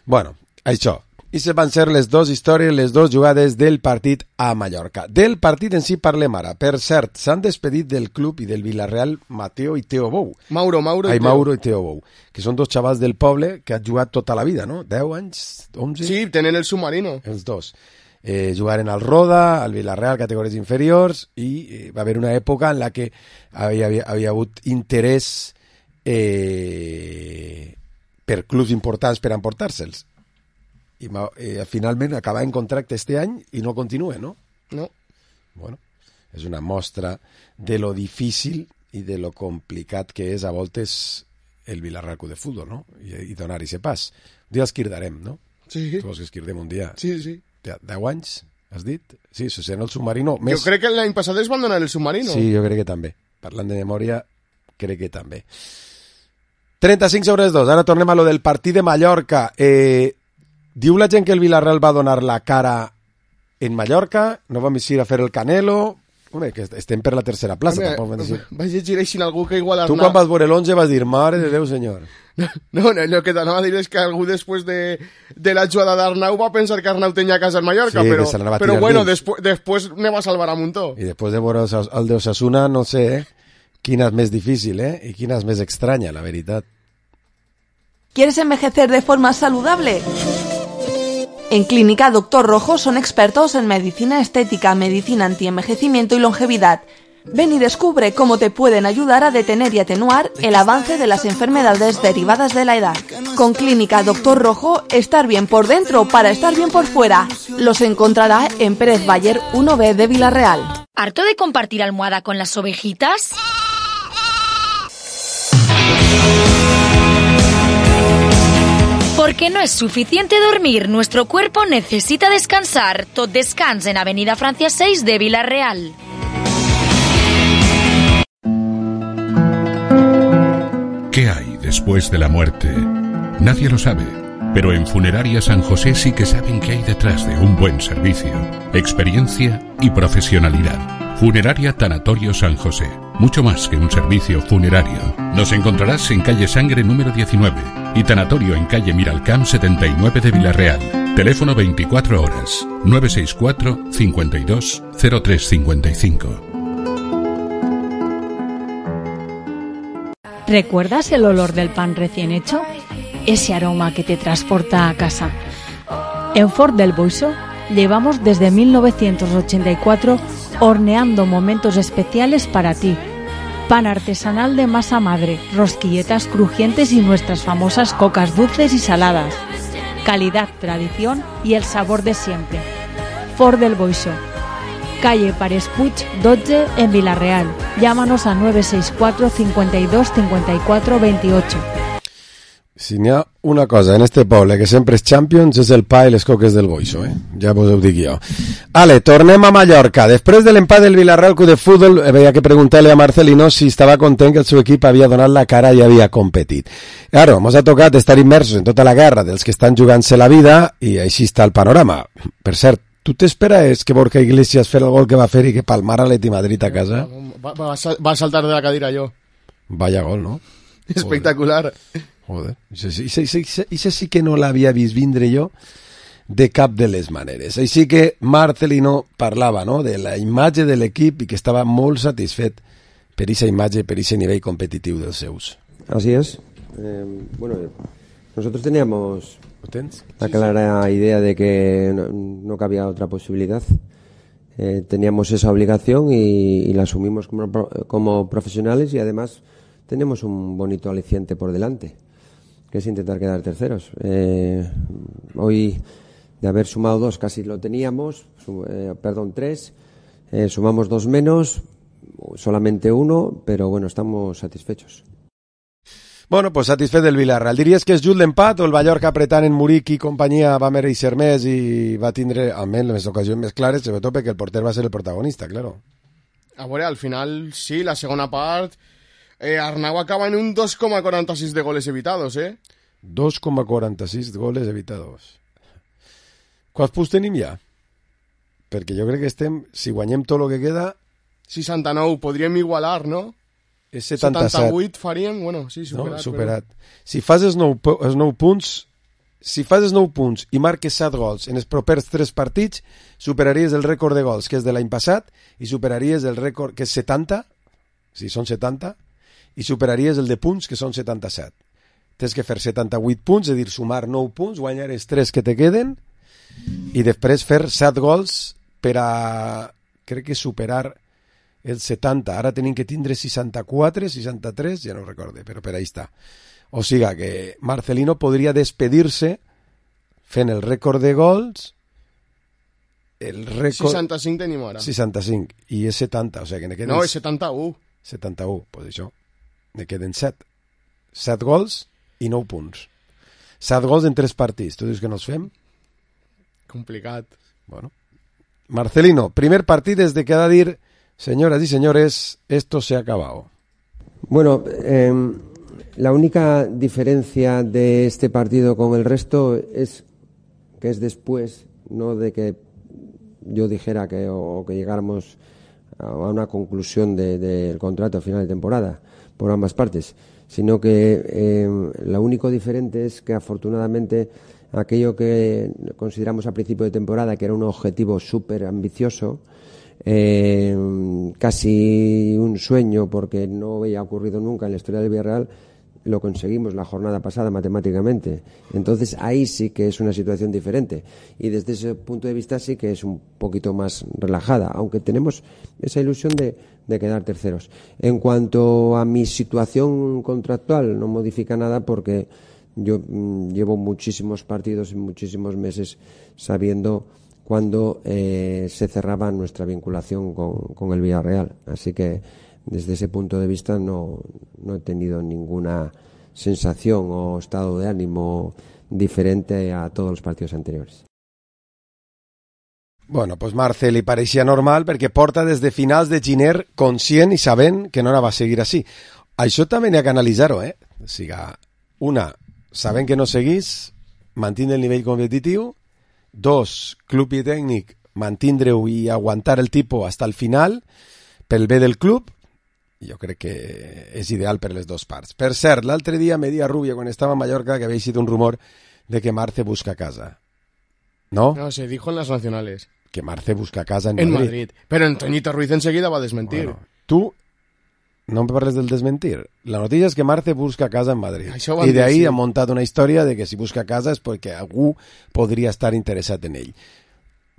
Bueno, això. I se van ser les dues històries, les dues jugades del partit a Mallorca. Del partit en si parlem ara. Per cert, s'han despedit del club i del Villarreal Mateo i Teo Bou. Mauro, Mauro Ai, i Teo. Mauro i Teo Bou, que són dos xavals del poble que han jugat tota la vida, no? deu anys, onze? Sí, tenen el submarino. Els dos. Eh, jugaren al Roda, al Villarreal, categories inferiors, i eh, va haver una època en la que havia, havia, havia hagut interès eh, per clubs importants per emportar-se'ls. I eh, finalment acaba en contracte este any i no continua, no? No. Bueno, és una mostra de lo difícil i de lo complicat que és a voltes el Villarreal Club de Futbol, no? I, i donar-hi ese pas. Un dia els quirdarem, no? Sí. Tu vols que esquirdem un dia? Sí, sí. deu anys? has dit? Sí, Sosé en el submarino. Més... Jo crec que l'any passat es van donar el submarino. Sí, jo crec que també. Parlant de memòria, crec que també. trenta-cinc sobre dos. Ara tornem a lo del partit de Mallorca. Eh, diu la gent que el Villarreal va donar la cara en Mallorca, no vam eixir a fer el Canelo... Home, que estem per la tercera plaça, Home, tampoc vam dir. Vaig llegir així algú que igual... Tu quan vas veure l'onze vas dir, mare de Déu, senyor. No, no, no, el que t'anava a dir és que algú després de, de la jugada d'Arnau va pensar que Arnau tenia casa en Mallorca, sí, però, però bueno, després, després ne va salvar a muntó. I després de veure el d'Osasuna, no sé, eh? Quina és més difícil, eh? I quina és més estranya, la veritat. ¿Quieres envejecer de forma saludable? En Clínica Doctor Rojo son expertos en medicina estética, medicina antienvejecimiento y longevidad. Ven y descubre cómo te pueden ayudar a detener y atenuar el avance de las enfermedades derivadas de la edad. Con Clínica Doctor Rojo, estar bien por dentro para estar bien por fuera. Los encontrará en Pérez Bayer uno B de Villarreal. ¿Harto de compartir almohada con las ovejitas? Porque no es suficiente dormir, nuestro cuerpo necesita descansar. Tot Descans en Avenida Francia seis de Villarreal. ¿Qué hay después de la muerte? Nadie lo sabe, pero en Funeraria San José sí que saben qué hay detrás de un buen servicio, experiencia y profesionalidad. Funeraria Tanatorio San José, mucho más que un servicio funerario. Nos encontrarás en calle Sangre número diecinueve y Tanatorio en calle Miralcamp setenta y nueve de Villarreal. Teléfono veinticuatro horas, nueve seis cuatro, cincuenta y dos, cero tres cincuenta y cinco. ¿Recuerdas el olor del pan recién hecho? Ese aroma que te transporta a casa. En Ford del Boixo llevamos desde mil novecientos ochenta y cuatro horneando momentos especiales para ti. Pan artesanal de masa madre, rosquilletas crujientes y nuestras famosas cocas dulces y saladas. Calidad, tradición y el sabor de siempre. Ford del Boixo. Calle Pares Puig dotze en Villarreal. Llámanos a nueve seis cuatro, cincuenta y dos, cincuenta y cuatro, veintiocho. Si n'hi ha una cosa en este poble que sempre és Champions és el pa i les coques del Boixo, eh? Ja vos ho dic jo. Ale, tornem a Mallorca. Després de l'empat del Villarreal Club de Fútbol, havia que preguntar-li a Marcelino si estava content que el seu equip havia donat la cara i havia competit. Claro, ens ha tocat estar immersos en tota la guerra dels que estan jugant-se la vida i així està el panorama. Per cert, tu t'esperaves que Borja Iglesias fera el gol que va fer i que palmara l'Atleti Madrid a casa? Va, va, va saltar de la cadira jo. Vaya gol, no? Espectacular. Joder, i sí que no l'havia vist vindre jo de cap de les maneres. Així que Marcelino parlava, ¿no?, de la imatge de l'equip i que estava molt satisfet per aquesta imatge, per aquest nivell competitiu dels seus. Así es. Eh, bueno, nosotros teníamos la clara idea de que no, no cabía otra posibilidad. Eh, teníamos esa obligación y, y la asumimos como, como profesionales y además tenemos un bonito aliciente por delante, que es intentar quedar terceros. Eh, hoy, de haber sumado dos, casi lo teníamos, su, eh, perdón, tres, eh, sumamos dos menos, solamente uno, pero bueno, estamos satisfechos. Bueno, pues satisfet del Villarreal. Diries que és just l'empat o el Mallorca apretant en Muric i companyia va mereixer més i va tindre almenys les ocasions més clares, sobretot perquè el porter va ser el protagonista, claro. A veure, al final, sí, la segona part... Eh, Arnau acaba en un dos coma quaranta-sis de goles evitados, eh? dos coma quaranta-sis goles evitados. Quants punts tenim ja? Perquè jo crec que estem, si guanyem tot el que queda... seixanta-nou, podríem igualar, no? És setanta-set. setanta-vuit faríem, bueno, sí, superat. No, superat. Però... Si fas els nou, els nou punts, si fas els nou punts i marques set gols en els propers tres partits, superaries el rècord de gols, que és de l'any passat, i superaries el rècord, que és setanta, si són setanta, i superaries el de punts, que són setanta-set. Tens que fer setanta-vuit punts, és a dir, sumar nou punts, guanyar els tres que te queden, i després fer set gols per a, crec que superar el setanta. Ara tenim que tindre seixanta-quatre, seixanta-tres, ja no ho recorde, però per ahí està. O sigui que Marcelino podria despedir-se fent el rècord de gols, el rècord... seixanta-cinc tenim ara. seixanta-cinc, i és setanta, o sigui que ne queden... No, és setanta-u. setanta-u, doncs això. Ne queden set. set gols i nou punts. set gols en tres partits. Tu dius que no els fem? Complicat. Bueno, Marcelino, primer partido desde que ha de dir, señoras y señores, esto se ha acabado. Bueno, eh, la única diferencia de este partido con el resto es que es después, no de que yo dijera que o que llegáramos a una conclusión del de, de contrato a final de temporada por ambas partes, sino que eh, lo único diferente es que afortunadamente aquello que consideramos a principio de temporada que era un objetivo súper ambicioso, eh, casi un sueño porque no había ocurrido nunca en la historia del Villarreal, lo conseguimos la jornada pasada matemáticamente. Entonces ahí sí que es una situación diferente y desde ese punto de vista sí que es un poquito más relajada, aunque tenemos esa ilusión de, de quedar terceros. En cuanto a mi situación contractual, no modifica nada porque yo mmm, llevo muchísimos partidos y muchísimos meses sabiendo cuándo eh, se cerraba nuestra vinculación con, con el Villarreal, así que desde ese punto de vista no, no he tenido ninguna sensación o estado de ánimo diferente a todos los partidos anteriores. Bueno, pues Marce li pareixia normal perquè porta des de finals de gener conscient i sabent que no anava a seguir així. Això també n'hi ha que analitzar-ho, eh? O sigui, una, sabent que no seguís, mantindre el nivell competitiu. Dos, club i tècnic, mantindre-ho i aguantar el tipus hasta el final pel bé del club. Jo crec que és ideal per les dues parts. Per cert, l'altre dia me dia Rubio, quan estava a Mallorca, que havia sido un rumor de que Marce busca casa. ¿No? No, se dijo en las nacionales. Que Marce busca casa en, en Madrid. Madrid. Pero Antoñito Ruiz enseguida va a desmentir. Bueno, tú no me parles del desmentir. La noticia es que Marce busca casa en Madrid. I de ahí sí. Ha muntat una història de que si busca casa és perquè algú podria estar interessat en ell.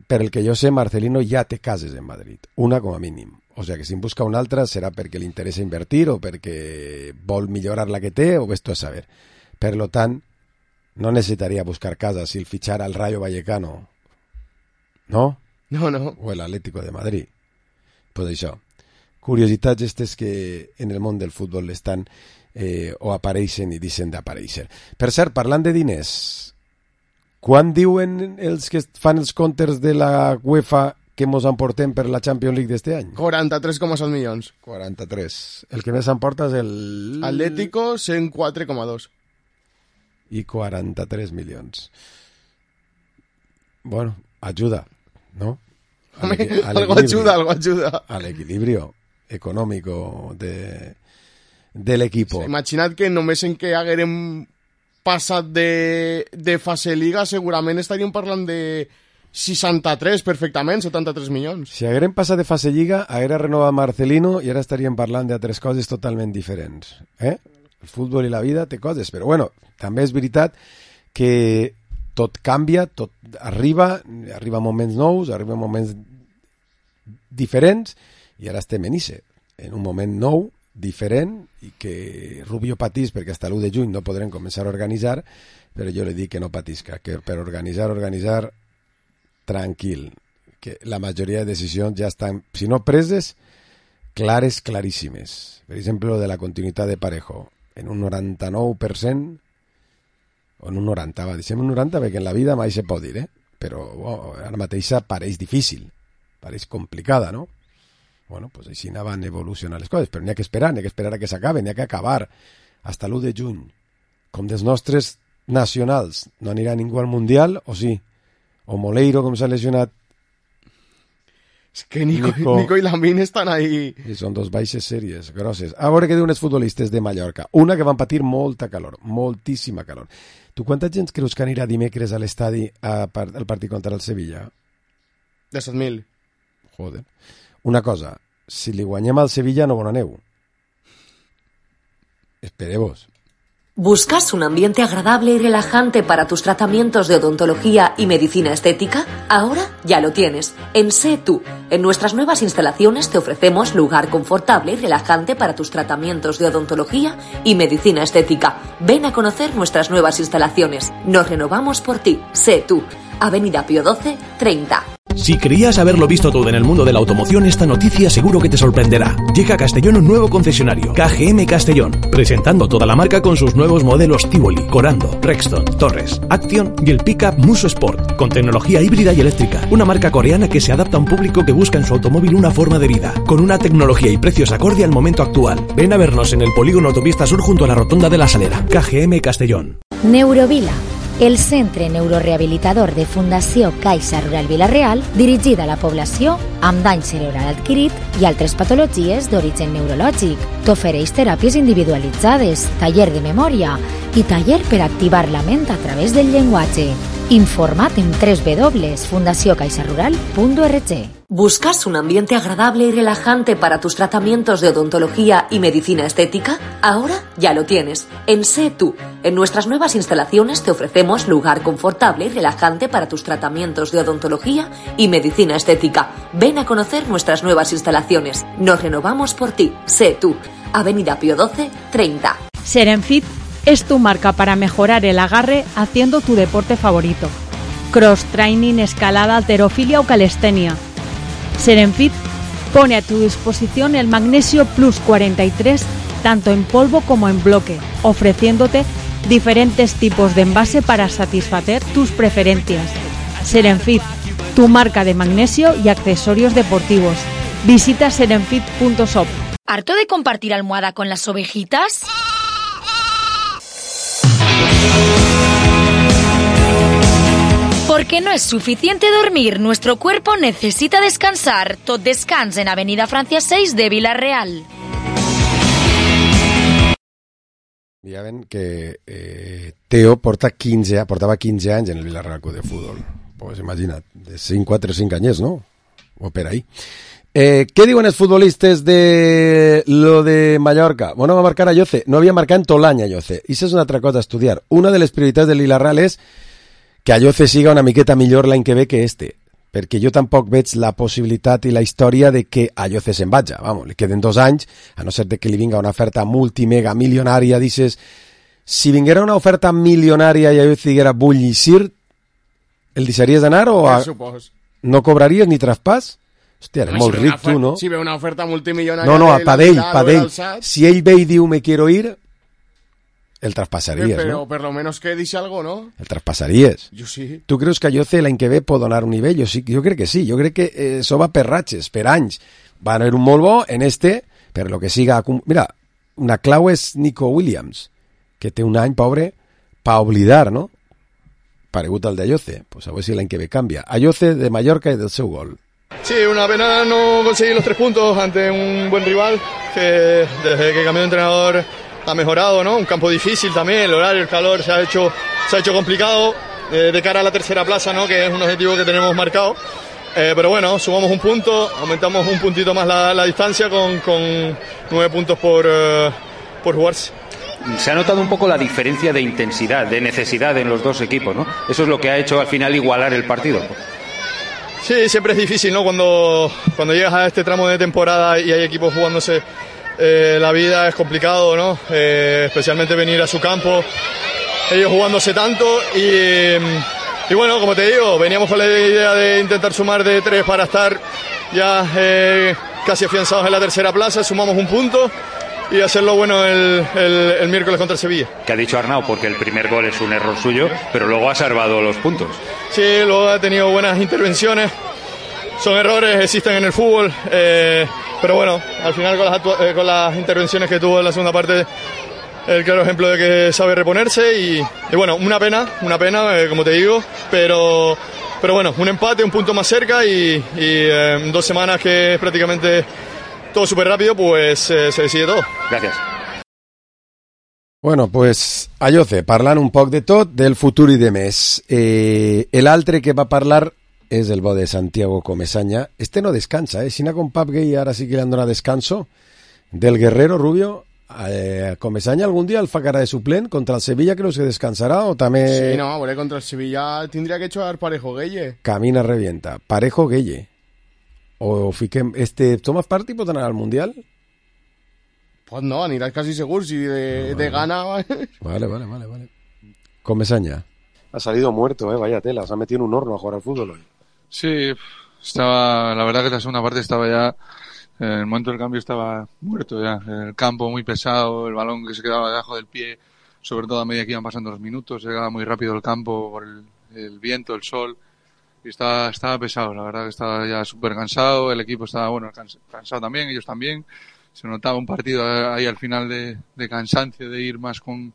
Per el que jo sé, Marcelino ja té cases en Madrid. Una com a mínim. O sigui que si en busca una altra serà perquè li interessa invertir o perquè vol millorar la que té o ves tu a saber. Per lo tant, no necessitaria buscar casa si el fichara al Rayo Vallecano, ¿no? No, no. O el Atlético de Madrid. Pues això. Curiositats aquestes que en el món del futbol estan eh, o apareixen i deixen d'aparèixer. Per cert, parlant de diners, quan diuen els que fan els comptes de la UEFA que mos emportem per la Champions League d'este any? quaranta-tres coma set milions. quaranta-tres. El que més emporta és el... Atlético, cent quatre coma dos. I quaranta-tres milions. Bueno, ajuda, ¿no? Al algo ayuda, algo ayuda. Al equilibrio económico de, del equipo. Sí, imaginad que només en que haguérem passat de, de fase Liga segurament estaríem parlant de seixanta-tres perfectament, setanta-tres milions. Si haguérem passat de fase Lliga, haguera renovat Marcelino i ara estaríem parlant d'altres coses totalment diferents. Eh? El futbol i la vida té coses, però bueno, també és veritat que tot canvia, tot arriba, arriba moments nous, arriba moments diferents, i ara estem en ixe, en un moment nou, diferent, i que Rubio patís perquè hasta l'u de juny no podrem començar a organitzar, però jo li dic que no patisca, que per organitzar, organitzar, tranquil, que la majoria de decisions ja estan, si no preses, clares, claríssimes. Per exemple, de la continuïtat de Parejo, en un noranta-nou per cent, o en un noranta, va, deixem un noranta perquè en la vida mai se pot dir, eh? Però oh, ara mateixa pareix difícil, pareix complicada, no? Bueno, pues així anaven evolucionant les coses, però n'hi ha que esperar, n'hi ha que esperar a que s'acabe, n'hi ha que acabar hasta l'u de juny. Com dels nostres nacionals no anirà ningú al Mundial, o sí? O Moleiro, com s'ha lesionat. És que Nico, Nico, Nico i Lamine estan ahí. I són dos baixes sèries, grosses. A veure què diuen els futbolistes de Mallorca. Una que van patir molta calor, moltíssima calor. Tu quanta gent creus que anirà dimecres a l'estadi al partit contra el Sevilla? De set mil. Joder. Una cosa, si li guanyem al Sevilla no bon aneu. Esperemos. ¿Buscas un ambiente agradable y relajante para tus tratamientos de odontología y medicina estética? Ahora ya lo tienes. En Sé Tú. En nuestras nuevas instalaciones te ofrecemos lugar confortable y relajante para tus tratamientos de odontología y medicina estética. Ven a conocer nuestras nuevas instalaciones. Nos renovamos por ti. Sé Tú. Avenida Pío doce, treinta. Si creías haberlo visto todo en el mundo de la automoción, esta noticia seguro que te sorprenderá. Llega a Castellón un nuevo concesionario, K G M Castellón, presentando toda la marca con sus nuevos modelos Tivoli, Corando, Rexton, Torres, Action y el pickup Muso Sport, con tecnología híbrida y eléctrica. Una marca coreana que se adapta a un público que busca en su automóvil una forma de vida, con una tecnología y precios acorde al momento actual. Ven a vernos en el polígono Autopista Sur junto a la rotonda de la Salera. K G M Castellón. Neurovila, el centre neurorehabilitador de Fundació Caixa Rural Vila-real, dirigida a la població amb dany cerebral adquirit i altres patologies d'origen neurològic. T'ofereix teràpies individualitzades, taller de memòria i taller per activar la ment a través del llenguatge. Informa't en doble u doble u doble u punto fundació caixa rural punto org. ¿Buscas un ambiente agradable y relajante para tus tratamientos de odontología y medicina estética? Ahora ya lo tienes. En Sé Tú. En nuestras nuevas instalaciones te ofrecemos lugar confortable y relajante para tus tratamientos de odontología y medicina estética. Ven a conocer nuestras nuevas instalaciones. Nos renovamos por ti. Sé Tú. Avenida Pío doce, treinta. Serenfit es tu marca para mejorar el agarre haciendo tu deporte favorito. Cross training, escalada, halterofilia o calistenia. Serenfit pone a tu disposición el Magnesio Plus cuarenta y tres tanto en polvo como en bloque, ofreciéndote diferentes tipos de envase para satisfacer tus preferencias. Serenfit, tu marca de magnesio y accesorios deportivos. Visita serenfit punto shop. ¿Harto de compartir almohada con las ovejitas? Porque no es suficiente dormir, nuestro cuerpo necesita descansar. Tot descans en Avenida Francia seis de Vila-real. Ja ven que eh, Teo porta quinze, portava quinze anys en el Vila-real Club de Futbol. Pues imagina't, de cinc, quatre, cinc anyers, no? O per ahí. Eh, ¿Qué diuen els futbolistes de lo de Mallorca? Bueno, va a marcar a Lloce. No havia marcat en tot l'any a Lloce. I això és una altra cosa a estudiar. Una de les prioritats del Vila-real és que a Lloce siga una miqueta millor l'any que ve que este, perquè jo tampoc veig la possibilitat i la història de que a Lloce se'n vaja. Vamos, li queden dos anys, a no ser de que li vinga una oferta multimega milionària, dices, si vinguera una oferta milionària i a Lloce diguera vull llicir, el deixaries d'anar o a... no cobraries ni traspàs? Hòstia, eres no, molt si ric tu, no? Si ve una oferta multimilionària... No, no, a Padell, Padell. Padell. Si ell ve i diu me quiero ir, el traspassaries, pero, no? Pero per lo menos que dice algo, ¿no? El traspassaries. Jo sí. Tu creus que a Lloce l'any que ve pot donar un nivell? Jo, sí, jo crec que sí. Jo crec que eh, això va per ratxes, per anys. Va haver un molt bo en este, per lo que siga... Mira, una clau és Nico Williams, que té un any, pobre, pa oblidar, no? Paregut al de Lloce. Pues a veure si l'any que ve canvia. A Lloce de Mallorca i del seu gol. Sí, una pena no conseguir los tres puntos ante un buen rival que desde que cambió de entrenador ha mejorado, ¿no? Un campo difícil también, el horario, el calor se ha hecho, se ha hecho complicado eh, de cara a la tercera plaza, ¿no? Que es un objetivo que tenemos marcado. Eh, pero bueno, sumamos un punto, aumentamos un puntito más la, la distancia con, con nueve puntos por, uh, por jugarse. Se ha notado un poco la diferencia de intensidad, de necesidad en los dos equipos, ¿no? Eso es lo que ha hecho al final igualar el partido. Sí, siempre es difícil, ¿no? Cuando, cuando llegas a este tramo de temporada y hay equipos jugándose eh, la vida, es complicado, ¿no? Eh, especialmente venir a su campo, ellos jugándose tanto y, y bueno, como te digo, veníamos con la idea de intentar sumar de tres para estar ya eh, casi afianzados en la tercera plaza, sumamos un punto y hacerlo bueno el, el, el miércoles contra el Sevilla. Que ha dicho Arnau, porque el primer gol es un error suyo, pero luego ha salvado los puntos. Sí, luego ha tenido buenas intervenciones, son errores, existen en el fútbol, eh, pero bueno, al final con las, eh, con las intervenciones que tuvo en la segunda parte, el claro ejemplo de que sabe reponerse y, y bueno, una pena, una pena, eh, como te digo, pero, pero bueno, un empate, un punto más cerca y, y eh, dos semanas que es prácticamente todo súper rápido, pues eh, se decide todo. Gracias. Bueno, pues a Lloce, parlant un poc de tot, del futur i de més. Eh, L'altre que va parlar és el bo de Santiago Comesaña. Este no descansa, eh? Si n'ha com Pap Gay ara sí que li han donat descanso. Del Guerrero, Rubio, eh, Comesaña algun dia el fa cara de suplent contra el Sevilla, creus que descansarà o també... Sí, no, bueno, contra el Sevilla tindria que jugar Parejo Gueye. Camina, revienta. Parejo Gueye. O fiquem... Este Thomas Partey pot anar al Mundial? Pues no, aniràs casi segur si de, no, de gana... Vale, vale, vale, vale. Comesaña. Ha salido muerto, eh, vaya tela. Se ha metido en un horno a jugar al fútbol hoy. Sí, Estaba, la verdad que la segunda parte estaba ya, en el momento del cambio estaba muerto ya. El campo muy pesado, el balón que se quedaba debajo del pie, sobre todo a medida que iban pasando los minutos, llegaba muy rápido el campo por el, el viento, el sol, y estaba, estaba pesado, la verdad que estaba ya súper cansado, el equipo estaba, bueno, cans, cansado también, ellos también. Se notaba un partido ahí al final de, de cansancio, de ir más con,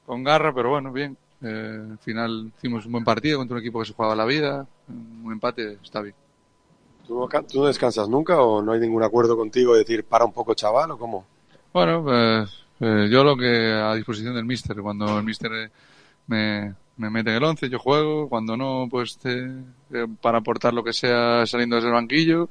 con garra, pero bueno, bien. Eh, al final hicimos un buen partido contra un equipo que se jugaba la vida, un empate está bien. ¿Tú no, ¿Tú no descansas nunca o no hay ningún acuerdo contigo de decir para un poco chaval o cómo? Bueno, pues eh, yo lo que a disposición del míster, cuando el míster me, me mete en el once yo juego, cuando no pues te, eh, para aportar lo que sea saliendo desde el banquillo.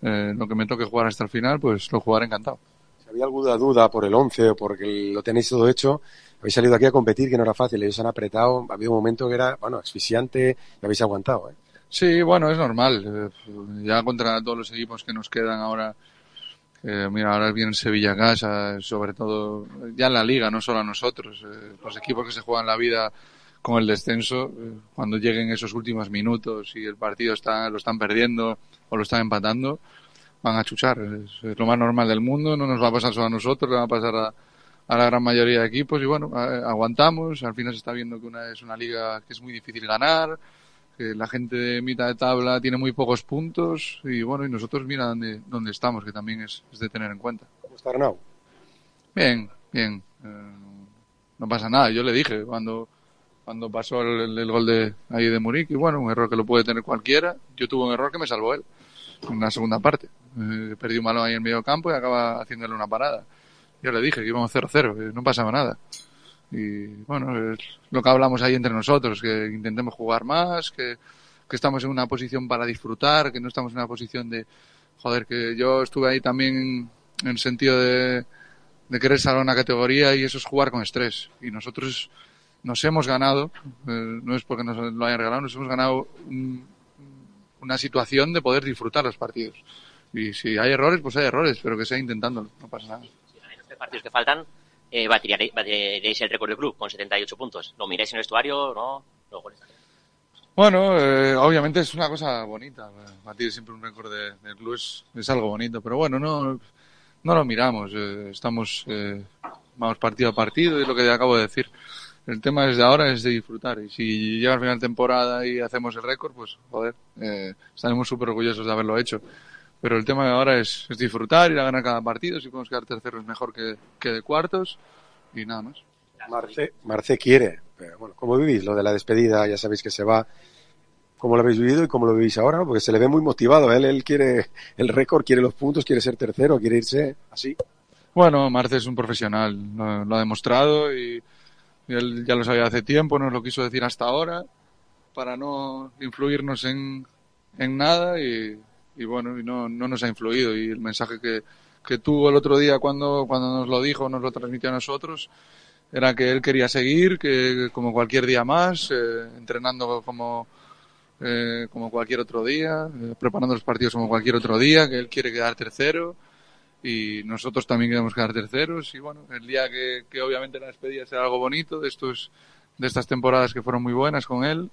Eh, lo que me toque jugar hasta el final, pues lo jugaré encantado. Si había alguna duda por el once o porque lo tenéis todo hecho, habéis salido aquí a competir, que no era fácil, ellos han apretado, había un momento que era, bueno, asfixiante y habéis aguantado, ¿eh? Sí, bueno, es normal. Eh, ya contra todos los equipos que nos quedan ahora, eh, mira, ahora viene Sevilla a casa, sobre todo ya en la Liga, no solo a nosotros, eh, los equipos que se juegan la vida con el descenso, eh, cuando lleguen esos últimos minutos y el partido está, lo están perdiendo o lo están empatando, van a chuchar. Es, es lo más normal del mundo, no nos va a pasar solo a nosotros, le va a pasar a, a la gran mayoría de equipos y bueno, a, aguantamos. Al final se está viendo que una es una liga que es muy difícil ganar, que la gente de mitad de tabla tiene muy pocos puntos y bueno, y nosotros mira dónde, dónde estamos, que también es, es de tener en cuenta. ¿Cómo está Arnau? Bien, bien. Eh, no pasa nada, yo le dije cuando... cuando pasó el, el gol de ahí de Múnich, y bueno, un error que lo puede tener cualquiera. Yo tuve un error que me salvó él en la segunda parte. Eh, perdí un balón ahí en medio campo y acaba haciéndole una parada. Yo le dije que íbamos cero cero, que no pasaba nada. Y bueno, es lo que hablamos ahí entre nosotros, que intentemos jugar más, que, que estamos en una posición para disfrutar, que no estamos en una posición de, joder, que yo estuve ahí también en el sentido de, de querer salvar una categoría y eso es jugar con estrés. Y nosotros nos hemos ganado, eh, no es porque nos lo hayan regalado, nos hemos ganado un, una situación de poder disfrutar los partidos. Y si hay errores, pues hay errores, pero que sea intentándolo, no pasa nada. Si en los tres partidos que faltan, eh, batiréis, batiréis el récord del club con setenta y ocho puntos. ¿Lo miráis en el vestuario? ¿No? ¿Los goles también? Bueno, eh, obviamente es una cosa bonita. Batir siempre un récord de, del club es, es algo bonito, pero bueno, no, no lo miramos. Eh, estamos, eh, vamos partido a partido, es lo que acabo de decir. El tema desde ahora es de disfrutar y si llega al final de temporada y hacemos el récord, pues joder, eh, estaremos súper orgullosos de haberlo hecho. Pero el tema de ahora es, es disfrutar, ir a ganar cada partido, si podemos quedar terceros mejor que, que de cuartos y nada más. Marce, Marce quiere, pero bueno, ¿cómo vivís lo de la despedida? Ya sabéis que se va. ¿Cómo lo habéis vivido y cómo lo vivís ahora? ¿No? Porque se le ve muy motivado, él, él quiere el récord, quiere los puntos, quiere ser tercero, quiere irse así. Bueno, Marce es un profesional, lo, lo ha demostrado y Y él ya lo sabía hace tiempo, nos lo quiso decir hasta ahora, para no influirnos en, en nada y, y bueno, y no, no nos ha influido. Y el mensaje que, que tuvo el otro día cuando, cuando nos lo dijo, nos lo transmitió a nosotros, era que él quería seguir, que como cualquier día más, eh, entrenando como, eh, como cualquier otro día, eh, preparando los partidos como cualquier otro día, que él quiere quedar tercero. Y nosotros también queremos quedar terceros y bueno, el día que, que obviamente la despedida será algo bonito de estos de estas temporadas que fueron muy buenas con él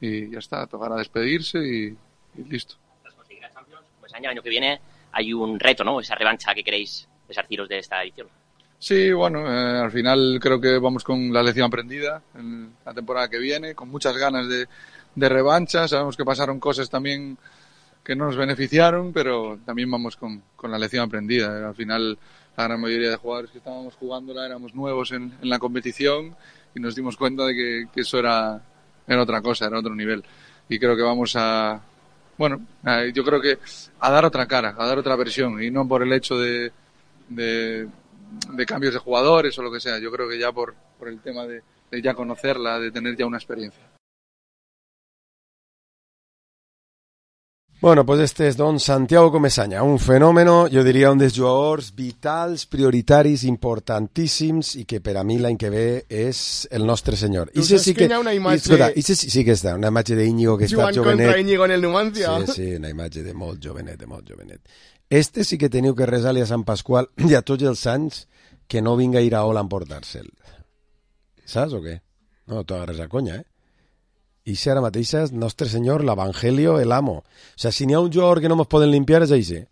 y ya está, tocará despedirse y, y listo. Tras conseguir la Champions, pues el año que viene hay un reto, ¿no? Esa revancha que queréis desarciros de esta edición. Sí, bueno, eh, al final creo que vamos con la lección aprendida en la temporada que viene, con muchas ganas de, de revancha. Sabemos que pasaron cosas también que no nos beneficiaron, pero también vamos con, con la lección aprendida. Al final, la gran mayoría de jugadores que estábamos jugándola éramos nuevos en, en la competición y nos dimos cuenta de que, que eso era, era otra cosa, era otro nivel. Y creo que vamos a, bueno, a, yo creo que a dar otra cara, a dar otra versión, y no por el hecho de, de, de cambios de jugadores o lo que sea. Yo creo que ya por, por el tema de, de ya conocerla, de tener ya una experiencia. Bueno, pues este és, doncs, Santiago Comesaña, un fenòmeno, jo diria un dels jugadors vitals, prioritaris, importantíssims i que per a mi l'any que ve és el nostre senyor. Tu saps sí que, que hi ha una imatge... Escolta, sí, sí que està, una imatge d'Íñigo que està jovenet. Jugant contra Íñigo en el Numancia. Sí, sí, una imatge de molt jovenet, de molt jovenet. Este sí que teniu que resar-li a Sant Pasqual i a tots els anys que no vinga a ir a Ola a emportar-se'l. Saps o què? No, t'ho agarres a conya, eh? I si ara mateix és nostre senyor, l'Evangelio, el amo. O sea, si n'hi ha un jugador que no mos poden limpiar és així.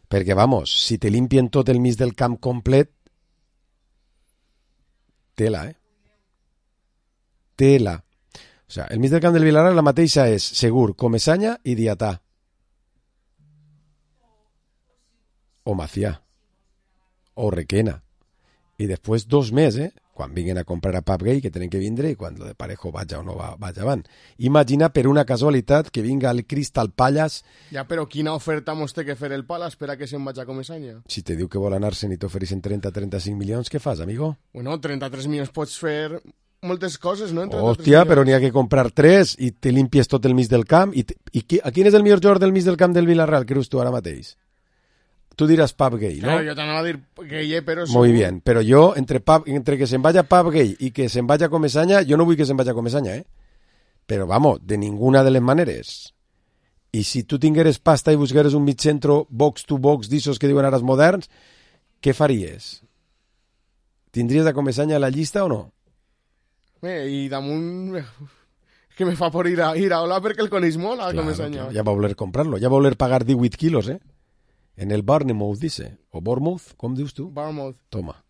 Perquè, vamos, si te limpien tot el mig del camp complet, tela, eh? Tela. O sea, el mig del camp del Villarreal la mateixa és Segur, Comesaña i Diatà. O Macià. O Requena. I després dos més, eh? Quan vinguin a comprar a Pap Gay, que tenen que vindre, i quan lo de Parejo vaja o no va, vaja avant. Imagina per una casualitat que vinga el Crystal Palace. Ja, però quina oferta mos té que fer el Palace per a que se'n vaja a Comesaña? Si te diu que vol anar-se'n i t'ofereixen trenta a trenta-cinc milions, què fas, amigo? Bueno, trenta-tres milions pots fer moltes coses, no? Hòstia, però n'hi ha que comprar tres i te limpies tot el mig del camp. I, te, i qui, a quin és el millor jugador del mig del camp del Villarreal, creus tu ara mateix? Tu diràs Pap Gay, ¿no? Claro, yo te anava a dir Gay, pero... Muy bien, pero yo, entre, Pap, entre que se'n vaya Pap Gay y que se'n vaya Comesaña, yo no vull que se'n vaya Comesaña, ¿eh? Pero vamos, de ninguna de les maneres. I si tu tingueres pasta i buscares un mig centro box to box d'issos que diuen ara els moderns, què faries? Tindries a Comesaña a la llista o no? Bé, i damunt... que me fa por ir a, ir a Ola perquè el coneix molt, a claro, Comesaña. Claro, ja va voler comprarlo, ja va voler pagar divuit quilos, ¿eh? En el Bournemouth, dice. O Bournemouth, com dius tu? Bournemouth. Toma.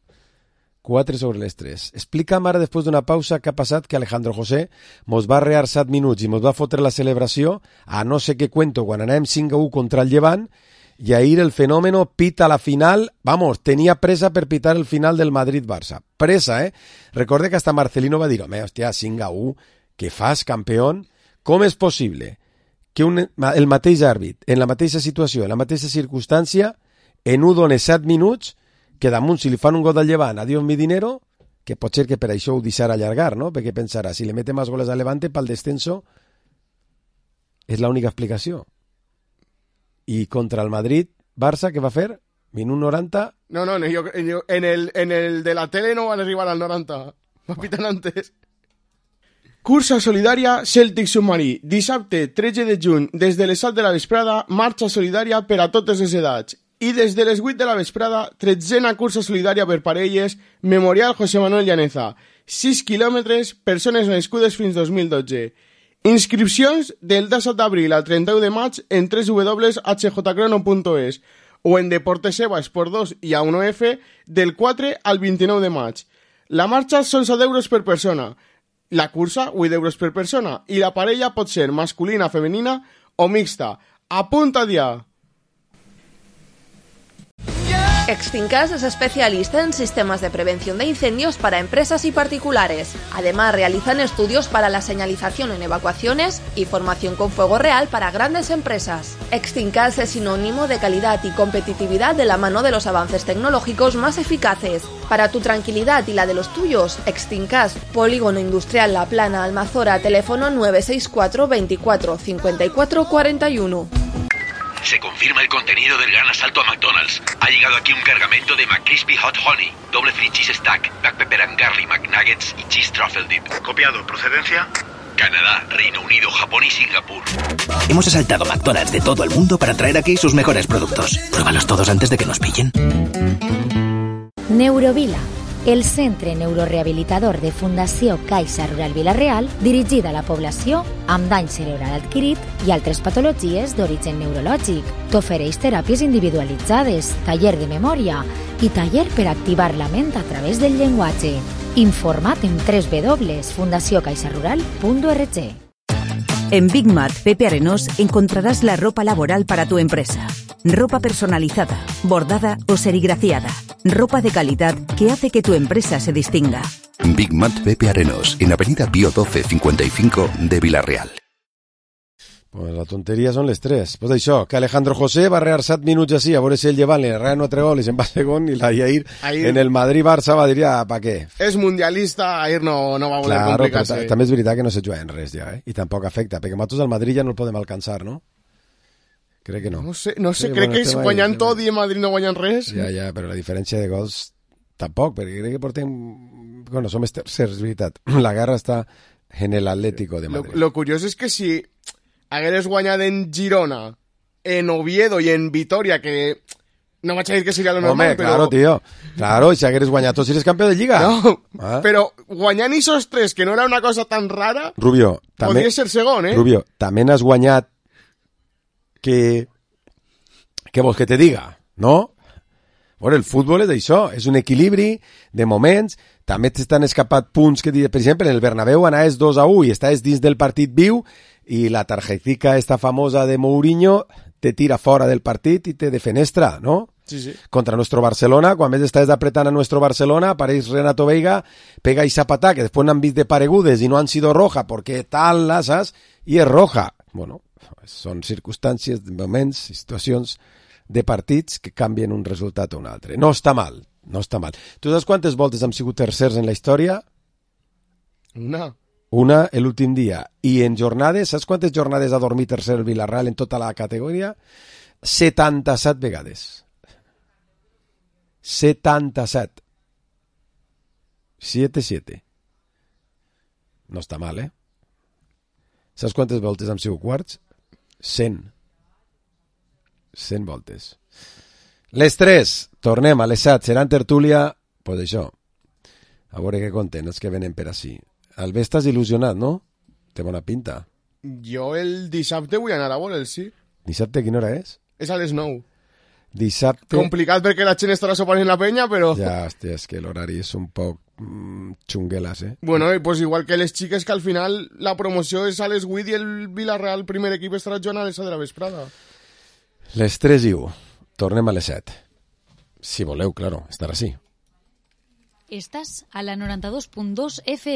quatre sobre les tres. Explica'm ara, després d'una pausa, què ha passat que Alejandro José mos va rear set minuts i mos va fotre la celebració a no sé què cuento quan anem cinc a u contra el Llevant i ahir el fenómeno pita la final. Vamos, tenia pressa per pitar el final del Madrid-Barça. Pressa, eh? Recorde que hasta Marcelino va dir, home, hòstia, cinc a u, què fas, campeón? Com és possible que un, el mateix àrbit, en la mateixa situació, en la mateixa circumstància, en un done set minuts, que damunt si li fan un gol del Llevant, adiós mi dinero, que pot ser que per això ho deixarà allargar, no? Perquè pensarà, si le mete más goles al Levante, pel descenso, és l'única explicació. I contra el Madrid, Barça, què va fer? Minut noranta... No, no, yo, yo, en, el, en el de la tele no van a arribar al noranta. Va pitant antes. Cursa solidària Celtic Submarí. Dissabte, tretze de juny, des de les set de la vesprada, marxa solidària per a totes les edats. I des de les vuit de la vesprada, tretzena cursa solidària per parelles, Memorial José Manuel Llaneza. sis quilòmetres, persones nascudes fins dos mil dotze. Inscripcions del disset d'abril al trenta-u de maig en w w w punt h j crono punt es o en Deportes Eva Esport dos i A uno F del quatre al vint-i-nou de maig. La marxa són set euros per persona. La cursa, vuit euros per persona, i la parella pot ser masculina, femenina o mixta. Apunta ya. Extincas es especialista en sistemas de prevención de incendios para empresas y particulares. Además, realizan estudios para la señalización en evacuaciones y formación con fuego real para grandes empresas. Extincas es sinónimo de calidad y competitividad de la mano de los avances tecnológicos más eficaces. Para tu tranquilidad y la de los tuyos, Extincas, Polígono Industrial La Plana, Almazora, teléfono nueve seis cuatro veinticuatro cincuenta y cuatro cuarenta y uno. Se confirma el contenido del gran asalto a McDonald's. Ha llegado aquí un cargamento de McCrispy Hot Honey, doble free cheese stack, black pepper and garlic McNuggets y cheese truffle dip. Copiado. ¿Procedencia? Canadá, Reino Unido, Japón y Singapur. Hemos asaltado McDonald's de todo el mundo para traer aquí sus mejores productos. Pruébalos todos antes de que nos pillen. Neurovila, el centre neurorehabilitador de Fundació Caixa Rural Vila-real, dirigida a la població amb dany cerebral adquirit i altres patologies d'origen neurològic. T'ofereix teràpies individualitzades, taller de memòria i taller per activar la ment a través del llenguatge. Informa't en w w w punt fundació caixa rural punt org. En Big Mat Pepe Arenós encontrarás la ropa laboral para tu empresa. Ropa personalizada, bordada o serigrafiada. Ropa de calidad que hace que tu empresa se distinga. Big Mat Pepe Arenós, en Avenida Pío doce cincuenta y cinco de Vila-real. Pues la tonteria són les tres. Pues això, que Alejandro José va rear set minuts així, a veure si el Llevant li rear un altre gol i se'n va segon, i la Yair Ahir... en el Madrid-Barça va dir, ah, pa què? És mundialista, ahir no, no va voler claro, complicar-se. També és veritat que no se juga en res ja, eh? I tampoc afecta, perquè nosaltres al Madrid ja no el podem alcançar, no? Crec que no. No sé, no sé sí, crec bueno, que guanyant ahí, tot i en Madrid no guanyen res. Ja, ja, però la diferència de gols tampoc, perquè crec que portem... Bueno, som tercers, és veritat. La guerra està en el Atlético de Madrid. Lo, lo curiós és que si hagueres guanyat en Girona, en Oviedo i en Vitoria, que No vaig a dir que seria lo normal, Home, però... claro, tío. Claro, si hagueres guanyat tots eres campió de Lliga. No, ah. però guanyant esos tres, que no era una cosa tan rara, Rubio, també... podria ser segon, eh? Rubio, també n'has guanyat que... Què vols que te diga, no? Bueno, el futbol és això, és un equilibri de moments, també t'estan escapat punts que, per exemple, en el Bernabéu anaves dos a u i estàs dins del partit viu i la tarjetica esta famosa de Mourinho te tira fora del partit i te defenestra, ¿no? Sí, sí. Contra nuestro Barcelona, quan més estàs apretant a nuestro Barcelona, apareix Renato Veiga, pega i zapatà, que després n'han vist de paregudes i no han sido roja, perquè tal, saps? I és roja. Bueno, són circumstàncies, moments, situacions de partits que canvien un resultat a un altre. No està mal, no està mal. Tu saps quantes voltes hem sigut tercers en la història? Una. Una, l'últim dia. I en jornades, saps quantes jornades ha dormit tercer el Villarreal en tota la categoria? setanta-set vegades. setanta-set. siete siete. No està mal, eh? Saps quantes voltes hem sigut quarts? cent. cent voltes. Les tres, tornem a les set, seran tertúlia, pues això, a veure què conten els que venen per ací. Albé, estàs il·lusionat, no? Té bona pinta. Jo el dissabte vull anar a veure'l, sí. Dissabte quina hora és? És a les nou. Dissabte... Complicat perquè la gent estarà sopant en la penya, però... Ja, hòstia, és que l'horari és un poc mm, xunguelas, eh? Bueno, i pues igual que les xiques, que al final la promoció és a les vuit i el Villarreal, primer equip, estarà jugant a les set de la vesprada. Les tres i u. Tornem a les set. Si voleu, claro, estar així. Estàs a la noranta dos punt dos F M.